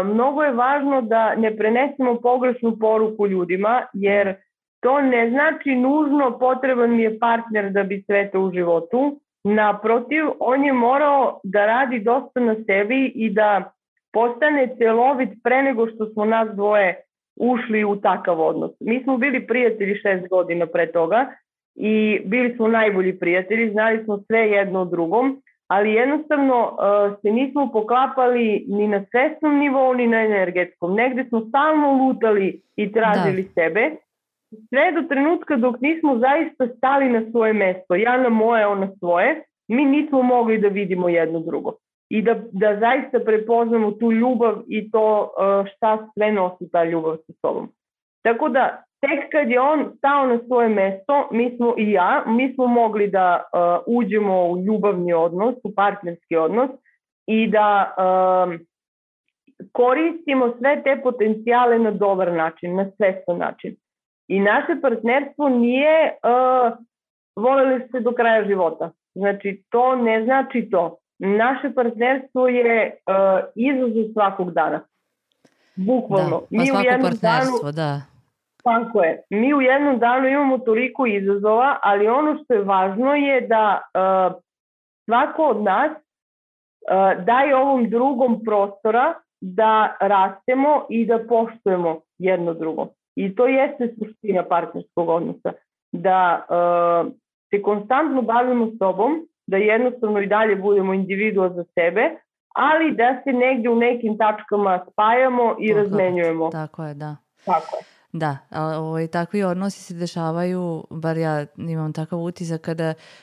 mnogo je važno da ne prenesemo pogrešnu poruku ljudima, jer to ne znači nužno potreban mi je partner da bi cvetao u životu. Naprotiv, on je morao da radi dosta na sebi i da postane celovit pre nego što smo nas dvoje ušli u takav odnos. Mi smo bili prijatelji 6 godina pre toga i bili smo najbolji prijatelji, znali smo sve jedno o drugom, ali jednostavno se nismo poklapali ni na svesnom nivou, ni na energetskom. Negde smo stalno lutali i tražili sebe, sve do trenutka dok nismo zaista stali na svoje mesto, ja na moje, on na svoje, mi nismo mogli da vidimo jedno drugo. I da zaista prepoznamo tu ljubav i to šta sve nosi ta ljubav sa sobom. Tako da, tek kad je on stao na svoje mesto, mi smo mogli da uđemo u ljubavni odnos, u partnerski odnos i da koristimo sve te potencijale na dobar način, na svestan način. I naše partnerstvo nije voleli se do kraja života. Znači, to ne znači to. Naše partnerstvo je izazov svakog dana. Bukvalno. Da, pa svako partnerstvo, da. Tako je. Mi u jednom danu imamo toliko izazova, ali ono što je važno je da svako od nas daje ovom drugom prostora da rastemo i da poštujemo jedno drugo. I to jeste suština partnerskog odnosa. Da se konstantno bavimo sobom, da jednostavno i dalje budemo individua za sebe, ali da se negdje u nekim tačkama spajamo i razmenjujemo. Tako je, da. Tako je. Da, takvi odnosi se dešavaju, bar ja imam takav utisak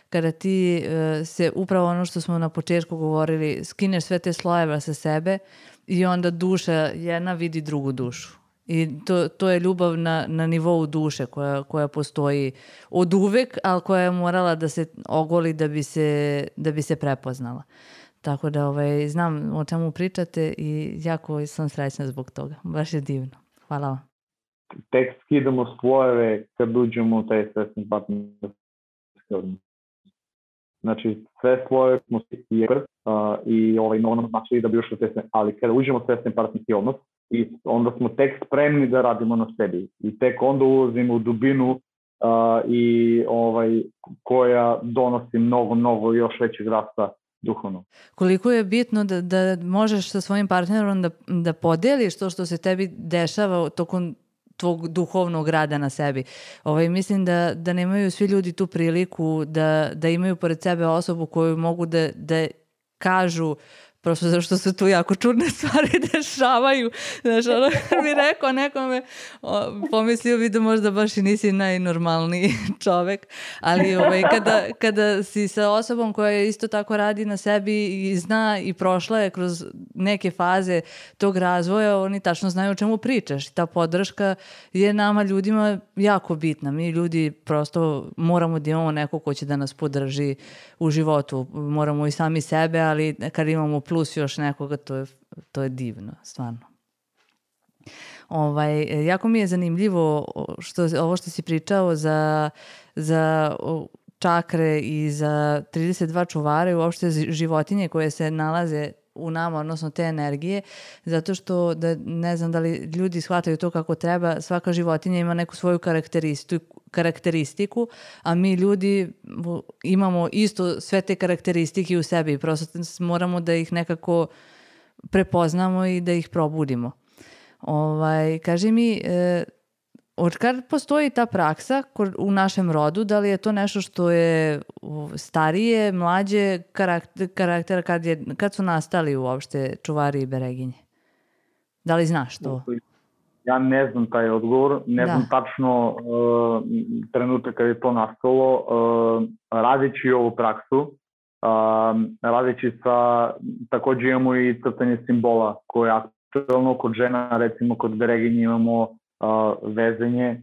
kada ti se upravo ono što smo na početku govorili, skineš sve te slojeve sa sebe i onda duša jedna vidi drugu dušu. I to je ljubav na nivou duše koja postoji od uvek, ali koja je morala da se ogoli da bi se prepoznala. Tako da znam o čemu pričate i jako sam srećna zbog toga. Baš je divno. Hvala vam. Tek skidamo slojeve kad uđemo u taj svesni partnerski odnos. Znači, sve slojeve smo i ono znači da bi ušli u ali kada uđemo u svesni partnerski odnos, i onda smo tek spremni da radimo na sebi. I tek onda ulazimo u dubinu koja donosi mnogo još većeg rasta duhovno. Koliko je bitno da možeš sa svojim partnerom da podeliš to što se tebi dešava tokom tvog duhovnog rada na sebi. Mislim da nemaju svi ljudi tu priliku da imaju pored sebe osobu koju mogu da kažu, prosto zato što se tu jako čudne stvari dešavaju. Znaš, mi rekao nekome, pomislio bi da možda baš i nisi najnormalniji čovek, ali kada si sa osobom koja isto tako radi na sebi i zna i prošla je kroz neke faze tog razvoja, oni tačno znaju o čemu pričaš. Ta podrška je nama ljudima jako bitna. Mi ljudi prosto moramo da imamo neko ko će da nas podrži u životu. Moramo i sami sebe, ali kad imamo plus još nekoga, to je divno, stvarno. Jako mi je zanimljivo ovo što si pričao za čakre i za 32 čuvara i uopšte životinje koje se nalaze u nama, odnosno te energije, zato što ne znam da li ljudi shvataju to kako treba, svaka životinja ima neku svoju karakteristiku, a mi ljudi imamo isto sve te karakteristike u sebi i prosto moramo da ih nekako prepoznamo i da ih probudimo. Kaži mi, Od kad postoji ta praksa u našem rodu, da li je to nešto što je starije, mlađe karaktera, kad su nastali uopšte čuvari i bereginje? Da li znaš to? Ja ne znam taj odgovor, ne znam tačno trenutak kada je to nastalo. Radeći ovu praksu, radeći sa, takođe imamo i crtanje simbola koje je aktualno kod žena, recimo kod bereginje imamo vezanje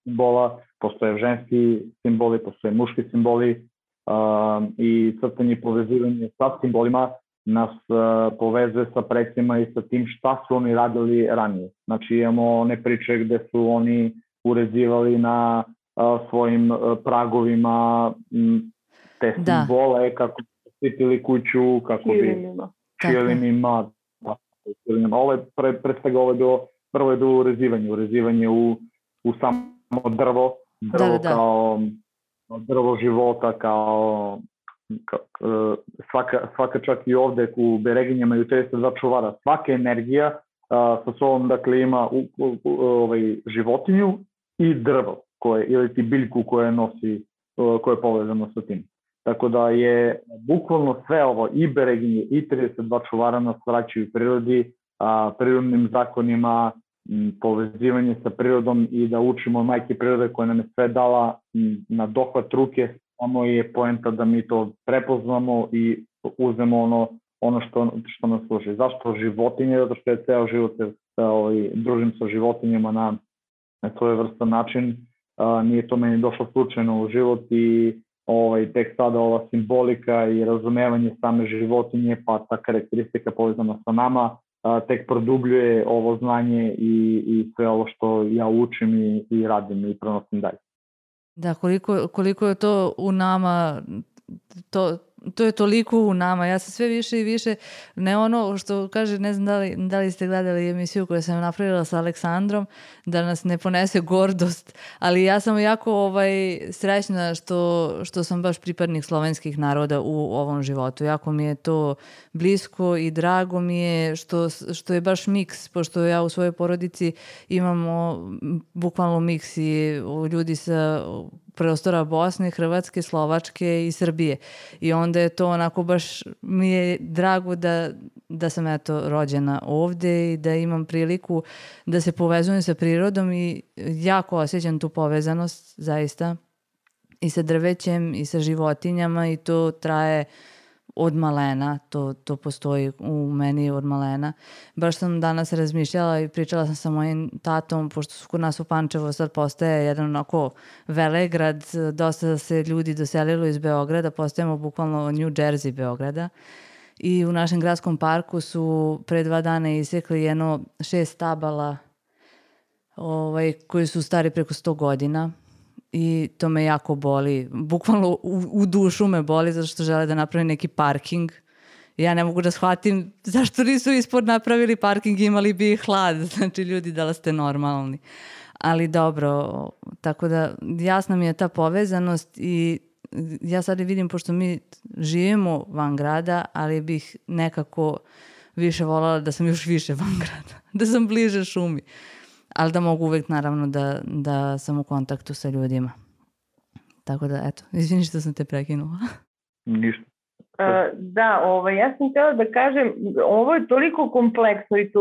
simbola, postoje ženski simboli, postoje muški simboli i crtanje i povezivanje sa simbolima nas povezuje sa precima i sa tim šta su oni radili ranije. Znači imamo one priče gde su oni urezivali na svojim pragovima te simbole, kako bi štitili kuću, kako bi čilinima. Ovo je pre svega prvo je bilo urezivanje u samo drvo kao drvo života, kao svaka čak i ovde u bereginjama i u 32 čuvara, svaka energija sa sobom dakle ima životinju i drvo ili ti biljku koja nosi, koja je povezano sa tim. Tako da je bukvalno sve ovo i bereginje i 32 čuvara nas vraćaju prirodi, prirodnim zakonima, povezivanje sa prirodom i da učimo majke prirode koja nam je sve dala na dohvat ruke. Samo je poenta da mi to prepoznamo i uzmemo ono što nas služi. Zašto životinje? Zato što je ceo život družim sa životinjama na svoj vrstan način. Nije to meni došlo slučajno u život i tek sada ova simbolika i razumevanje same životinje, pa ta karakteristika povezana sa nama, tek produbljuje ovo znanje i sve ovo što ja učim i radim i prenosim dalje. Da, koliko je to u nama, to je toliko u nama. Ja sam sve više i više, ne ono što kaže, ne znam da li ste gledali emisiju koju sam napravila sa Aleksandrom, da nas ne ponese gordost, ali ja sam jako srećna što sam baš pripadnik slovenskih naroda u ovom životu. Jako mi je to blisko i drago mi je što je baš miks, pošto ja u svojoj porodici imamo bukvalno miks i ljudi sa prostora Bosne, Hrvatske, Slovačke i Srbije. I onda je to onako baš mi je drago da sam rođena ovde i da imam priliku da se povezujem sa prirodom i jako osjećam tu povezanost zaista i sa drvećem i sa životinjama i to traje od malena, to postoji u meni od malena. Baš sam danas razmišljala i pričala sam sa mojim tatom, pošto su kod nas u Pančevo sad postaje jedan onako velegrad, dosta se ljudi doselilo iz Beograda, postajemo bukvalno New Jersey Beograda i u našem gradskom parku su pre 2 dana isekli 6 stabala koji su stari preko 100 godina. I to me jako boli, bukvalno u dušu me boli zato što žele da napravi neki parking. Ja ne mogu da shvatim zašto nisu ispod napravili parking, imali bi hlad, znači ljudi da li ste normalni. Ali dobro, tako da jasna mi je ta povezanost i ja sad vidim, pošto mi živimo van grada, ali bih nekako više voljela da sam još više van grada, da sam bliže šumi. Ali da mogu uvek naravno da sam u kontaktu sa ljudima. Tako da, eto, izvini što sam te prekinula. Ništa. Da, ja sam htjela da kažem, ovo je toliko kompleksno i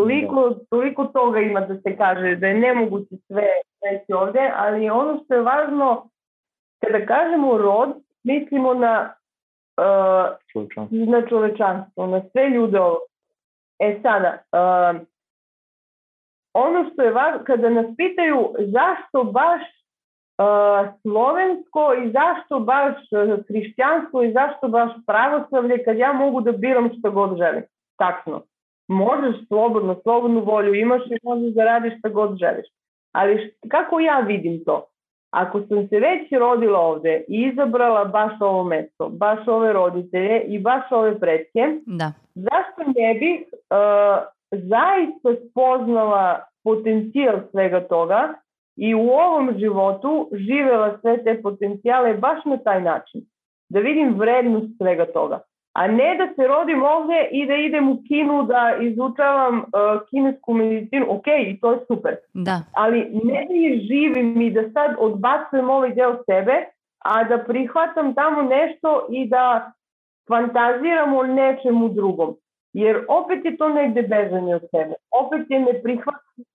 toliko toga ima da se kaže, da je nemoguće sve reći ovde, ali ono što je važno, kada kažemo rod, mislimo na čovečanstvo, na sve ljude ovo. Sada, ono što je važno, kada nas pitaju zašto baš slovensko i zašto baš hrišćanstvo i zašto baš pravoslavlje, kad ja mogu da biram što god želim. Tačno. Možeš slobodnu volju imaš i možeš da radiš što god želiš. Ali kako ja vidim to? Ako sam se već rodila ovde i izabrala baš ovo mesto, baš ove roditelje i baš ove pretke, zašto ne bih zaista spoznala potencijal svega toga i u ovom životu živela sve te potencijale baš na taj način. Da vidim vrednost svega toga. A ne da se rodim ovde i da idem u Kinu da izučavam kinesku medicinu, ok, i to je super. Da. Ali ne da je živim i da sad odbacujem ovaj deo sebe, a da prihvatam tamo nešto i da fantaziram o nečemu drugom. Jer opet je to negde bežanje od sebe. Opet je neprihvatanje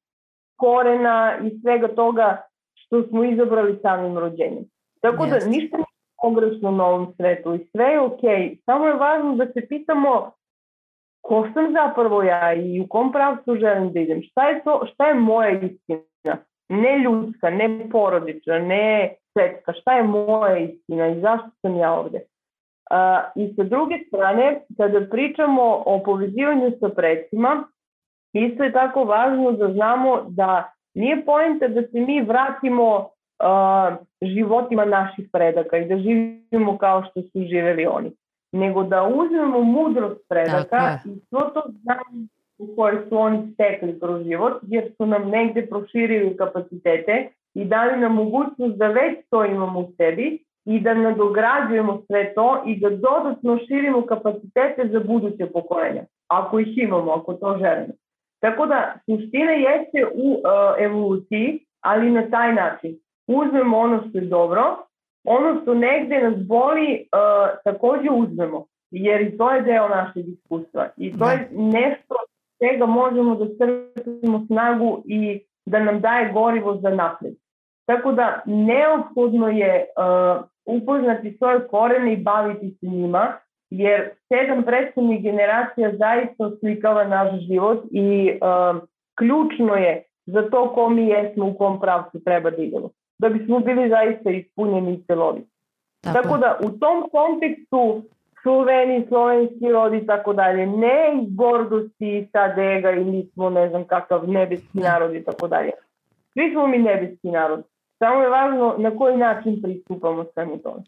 korena i svega toga što smo izabrali samim rođenjem. Tako da ništa nije pogrešno na ovom svetu i sve je okej. Samo je važno da se pitamo ko sam zapravo ja i u kom pravcu želim da idem. Šta je moja istina? Ne ljudska, ne porodična, ne svetska. Šta je moja istina i zašto sam ja ovde? I sa druge strane, kada pričamo o povezivanju sa precima, isto je tako važno da znamo da nije poenta da se mi vratimo životima naših predaka i da živimo kao što su živeli oni, nego da uzmemo mudrost predaka i svo to znanje u koje su oni stekli kroz život, jer su nam negde proširili kapacitete i dali nam mogućnost da već to imamo u sebi i da nadograđujemo sve to i da dodatno širimo kapacitete za buduće pokolenja, ako ih imamo, ako to želimo. Tako da suština jeste u evoluciji, ali na taj način. Uzmemo ono što je dobro, ono što negde nas boli takođe uzmemo, jer i to je deo našeg iskustva. I to je nešto čega možemo da crpimo snagu i da nam daje gorivo za napred. Tako da neophodno je upoznati svoje korene i baviti se njima, jer 7 prethodnih generacija zaista oslikava naš život i ključno je za to ko mi jesmo, u kom pravcu treba da idemo, da bismo bili zaista ispunjeni i celoviti. Tako da u tom kontekstu Sloveni, slovenski rod i tako dalje, ne iz gordosti, sad ega i mi smo ne znam kakav nebeski narod i tako dalje. Svi smo mi nebeski narod. Samo je važno na koji način pristupamo svemu tome.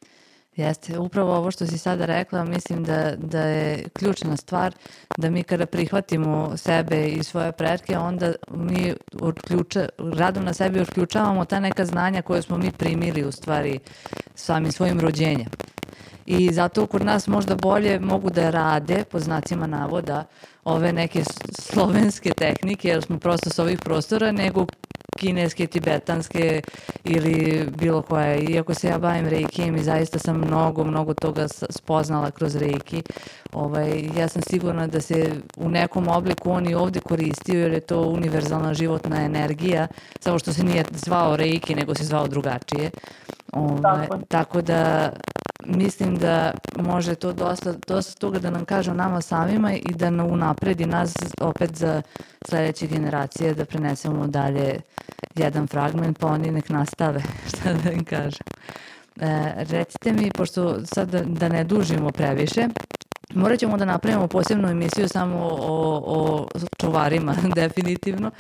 Jeste, upravo ovo što si sada rekla, mislim da je ključna stvar da mi kada prihvatimo sebe i svoje pretke, onda mi radom na sebi otključavamo ta neka znanja koje smo mi primili u stvari samim svojim rođenjem. I zato kod nas možda bolje mogu da rade, po znacima navoda, ove neke slovenske tehnike, jer smo prosto s ovih prostora, nego kineske, tibetanske ili bilo koje. Iako se ja bavim reikijem i zaista sam mnogo toga spoznala kroz reiki, ja sam sigurna da se u nekom obliku on i ovde koristio, jer je to univerzalna životna energija, samo što se nije zvao reiki, nego se zvao drugačije. Tako da mislim da može to dosta toga da nam kaže o nama samima i da unapredi nas opet za sledeće generacije, da prenesemo dalje jedan fragment, pa oni nek nastave, šta da im kažem. Recite mi, pošto sad da ne dužimo previše, morat ćemo da napravimo posebnu emisiju samo o čuvarima, definitivno,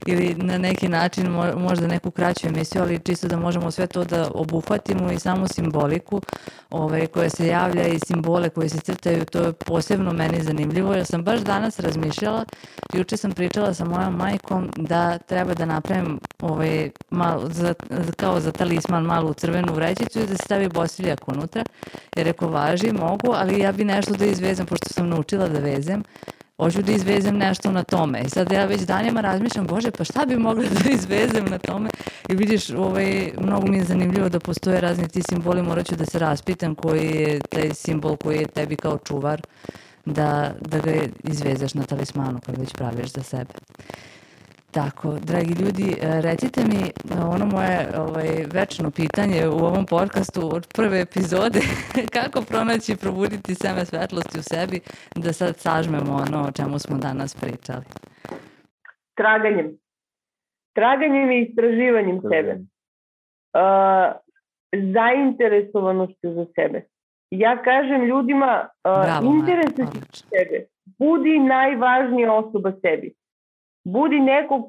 ili na neki način možda neku kraću emisiju, ali čisto da možemo sve to da obuhvatimo i samu simboliku koja se javlja i simbole koje se crtaju, to je posebno meni zanimljivo, jer sam baš danas razmišljala, juče sam pričala sa mojom majkom da treba da napravim kao za talisman malu crvenu vrećicu i da se stavi bosiljak unutra, jer ako važi, mogu, ali ja bi nešto da izvezem, pošto sam naučila da vezem, hoću da izvezem nešto na tome. I sad ja već danima razmišljam, Bože, pa šta bi mogla da izvezem na tome? I vidiš, mnogo mi je zanimljivo da postoje razni ti simboli, morat ću da se raspitam koji je taj simbol koji je tebi kao čuvar, da ga izvezeš na talismanu kad već praviš za sebe. Tako, dragi ljudi, recite mi ono moje večno pitanje u ovom podcastu od prve epizode, kako pronaći i probuditi seme svetlosti u sebi, da sad sažmemo ono o čemu smo danas pričali. Traganjem i istraživanjem sebe. Zainteresovanošću za sebe. Ja kažem ljudima, interesuj se sebe. Budi najvažnija osoba sebi. Budi neko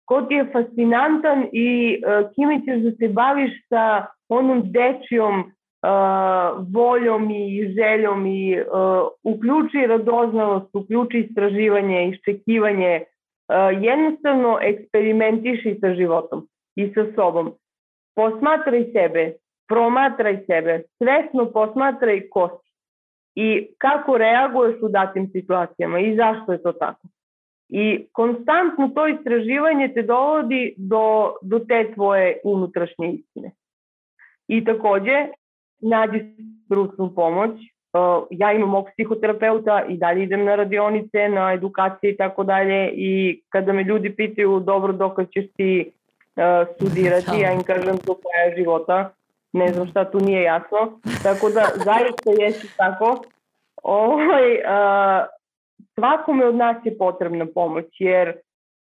ko ti je fascinantan i kime ćeš da se baviš sa onom dečijom voljom i željom i uključi radoznalost, uključi istraživanje, iščekivanje, jednostavno eksperimentiši sa životom i sa sobom. Posmatraj sebe, promatraj sebe, svesno posmatraj ko si. i kako reaguješ u datim situacijama i zašto je to tako. I konstantno to istraživanje te dovodi do te tvoje unutrašnje istine. I takođe, nađi stručnu pomoć. Ja imam mog psihoterapeuta i dalje idem na radionice, na edukacije i tako dalje. I kada me ljudi pitaju, dobro, dokad ćeš ti studirati, ja im kažem do kraja života. Ne znam šta tu nije jasno. Tako da, zaista jesi tako. Svakome od nas je potrebna pomoć, jer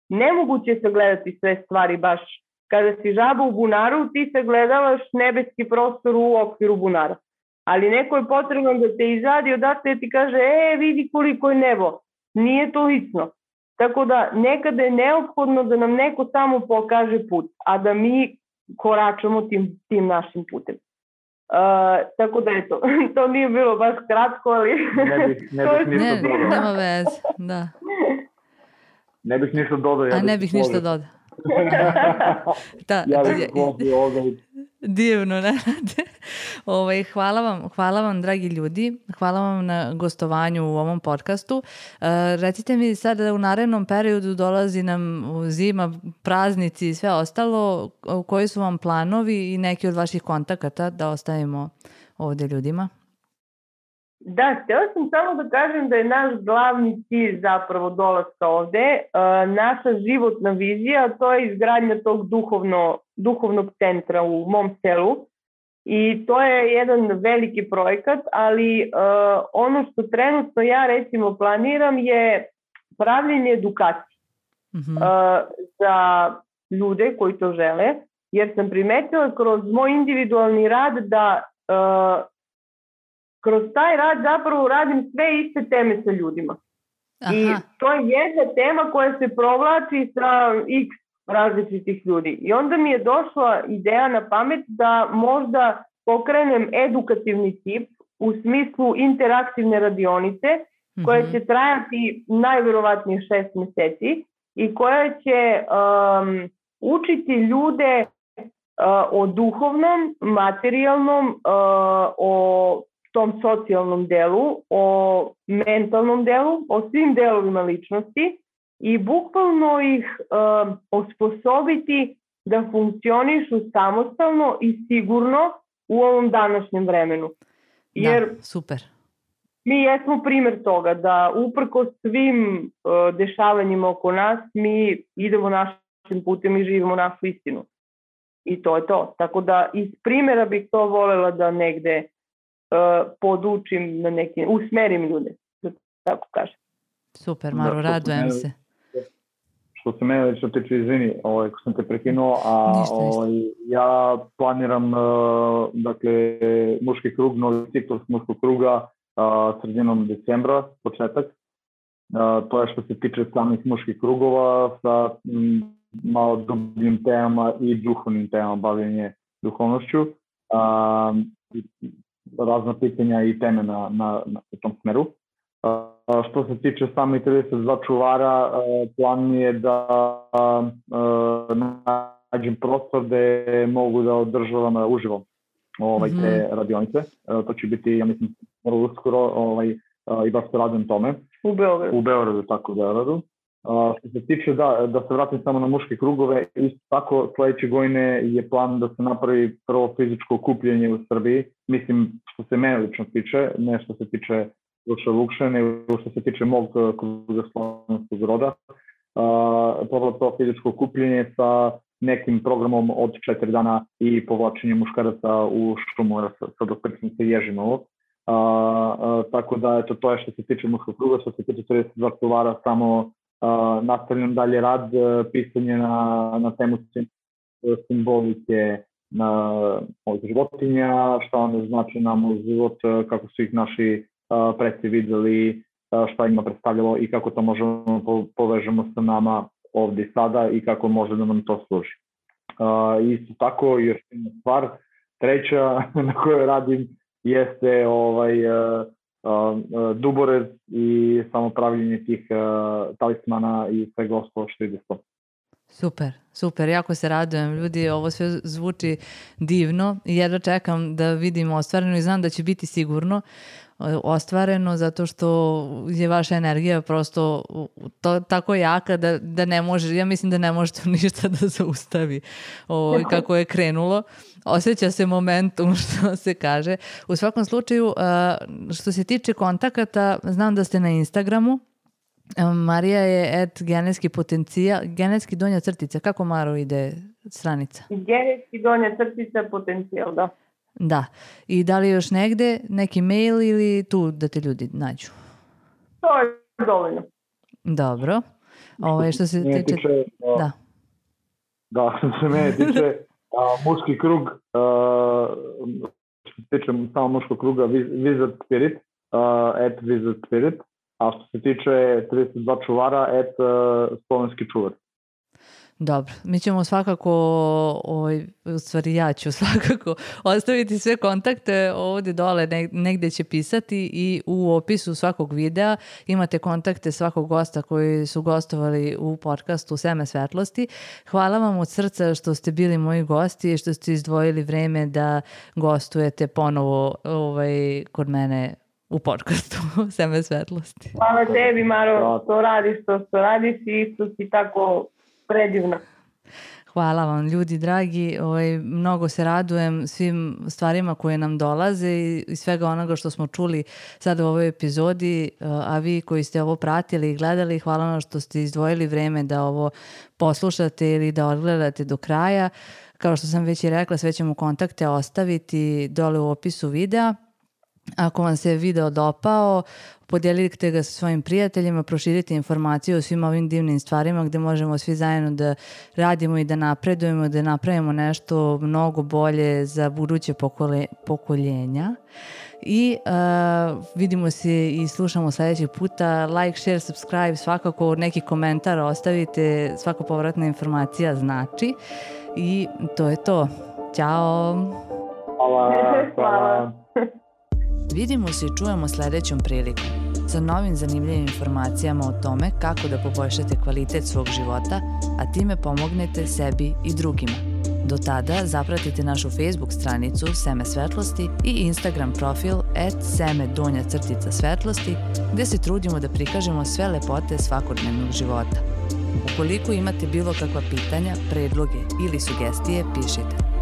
nemoguće je sagledati sve stvari baš. Kada si žaba u bunaru, ti sagledavaš nebeski prostor u okviru bunara. Ali neko je potrebno da te izadi odatle i ti kaže, vidi koliko je nebo. Nije to lično. Tako da nekada je neophodno da nam neko samo pokaže put, a da mi koračamo tim našim putem. Tako da eto, to nije bilo baš kratko, ali... Nema veze, da. Ne bih ništa dodao. Ne bih ništa dodao. Ja bih slobio ovdje. Divno, ne? Hvala vam, dragi ljudi. Hvala vam na gostovanju u ovom podcastu. Recite mi sad da u narednom periodu dolazi nam zima, praznici i sve ostalo. Koji su vam planovi i neki od vaših kontakata da ostavimo ovdje ljudima? Da, htjela sam samo da kažem da je naš glavni cilj zapravo dolaska ovde, naša životna vizija, to je izgradnja tog duhovnog centra u mom selu i to je jedan veliki projekat, ali ono što trenutno ja recimo planiram je pravljenje edukacije za ljude koji to žele, jer sam primetila kroz moj individualni rad da kroz taj rad zapravo radim sve iste teme sa ljudima. Aha. I to je jedna tema koja se provlači sa x različitih ljudi. I onda mi je došla ideja na pamet da možda pokrenem edukativni tip u smislu interaktivne radionice koja će trajati najverovatnije 6 meseci i koja će učiti ljude o duhovnom, materijalnom, o tom socijalnom delu, o mentalnom delu, o svim delovima ličnosti i bukvalno ih osposobiti da funkcionišu samostalno i sigurno u ovom današnjem vremenu. Jer da, super. Mi jesmo primjer toga da uprkos svim dešavanjima oko nas mi idemo našim putem i živimo našu istinu. I to je to. Tako da iz primjera bih to voljela da negde podučim na neki, usmerim ljude, da tako kažem. Super, Maru, radujem se. Što se mene lično tiče, izvini, ko sam te prekinuo, ja planiram dakle, muški krug, novi ciklus muškog kruga sredinom decembra, početak. To je što se tiče samih muških krugova sa malo dubljim temama i duhovnim temama, bavljenje duhovnošću. Razna pitanja i teme na tom smeru. Što se tiče sami 32 čuvara, plan mi je da nađem prostor gde mogu da održavam uživo te radionice. To će biti, ja mislim, uskoro i baš se radim tome. U Beogradu, tako u Beogradu. Što se tiče da se vratim samo na muške krugove, isto tako sledeće godine je plan da se napravi prvo fizičko okupljanje u Srbiji. Mislim, što se mene lično tiče, ne što se tiče Luša Vukše, nego što se tiče mog kruga Slovenskog roda. Prvo to fizičko okupljanje sa nekim programom od 4 dana i povlačenjem muškaraca u šumu sa dokrčnice Ježinovo. Tako da to je što se tiče muškog kruga, što se tiče 32 čuvara, samo nastavljam dalje rad, pisanje na temu simbolike životinja, šta one znači nam u život, kako su ih naši preci videli, šta ima predstavljalo i kako to možemo povežemo sa nama ovdje sada i kako može da nam to služi. Isto tako, još jedna stvar, treća na kojoj radim jeste duborez i samo pravljenje tih talismana i svega ostalo što ide s tom. Super, jako se radujem. Ljudi, ovo sve zvuči divno i jedva čekam da vidimo ostvareno i znam da će biti sigurno. ostvareno, zato što je vaša energija prosto tako jaka da ne može, ja mislim da ne možete ništa da zaustavi kako je krenulo. Osjeća se momentum, što se kaže. U svakom slučaju, što se tiče kontakata, znam da ste na Instagramu. Marija je genetski potencijal, genetski donja crtica. Kako, Maro, ide stranica? Genetski donja crtica potencijal, da. Da. I da li još negde neki mail ili tu da te ljudi nađu? To je dovoljno. Dobro. Što se tiče... Da, što se mene tiče muški krug, što se tiče samo muškog kruga Wizard Spirit, @Wizard Spirit, a što se tiče 32 čuvara, slovenski čuvar. Dobro, mi ćemo svakako, u stvari ja ću svakako ostaviti sve kontakte ovdje dole, negdje će pisati i u opisu svakog videa imate kontakte svakog gosta koji su gostovali u podcastu Seme svetlosti. Hvala vam od srca što ste bili moji gosti i što ste izdvojili vreme da gostujete ponovo kod mene u podcastu Seme svetlosti. Hvala tebi, Maro, što radiš i što si tako predivno. Hvala vam, ljudi dragi. Mnogo se radujem svim stvarima koje nam dolaze i svega onoga što smo čuli sada u ovoj epizodi, a vi koji ste ovo pratili i gledali, hvala vam što ste izdvojili vreme da ovo poslušate ili da odgledate do kraja. Kao što sam već i rekla, sve ćemo kontakte ostaviti dole u opisu videa. Ako vam se video dopao, podijelite ga sa svojim prijateljima, proširite informacije o svim ovim divnim stvarima gdje možemo svi zajedno da radimo i da napredujemo, da napravimo nešto mnogo bolje za buduće pokoljenja. I vidimo se i slušamo sljedećeg puta. Like, share, subscribe, svakako neki komentar ostavite, svaka povratna informacija znači. I to je to. Ćao! Hvala. Vidimo se i čujemo sljedećom prilikom sa novim zanimljivim informacijama o tome kako da poboljšate kvalitet svog života, a time pomognete sebi i drugima. Do tada zapratite našu Facebook stranicu Seme svetlosti i Instagram profil @Seme_svetlosti gdje se trudimo da prikažemo sve lepote svakodnevnog života. Ukoliko imate bilo kakva pitanja, predloge ili sugestije, pišite.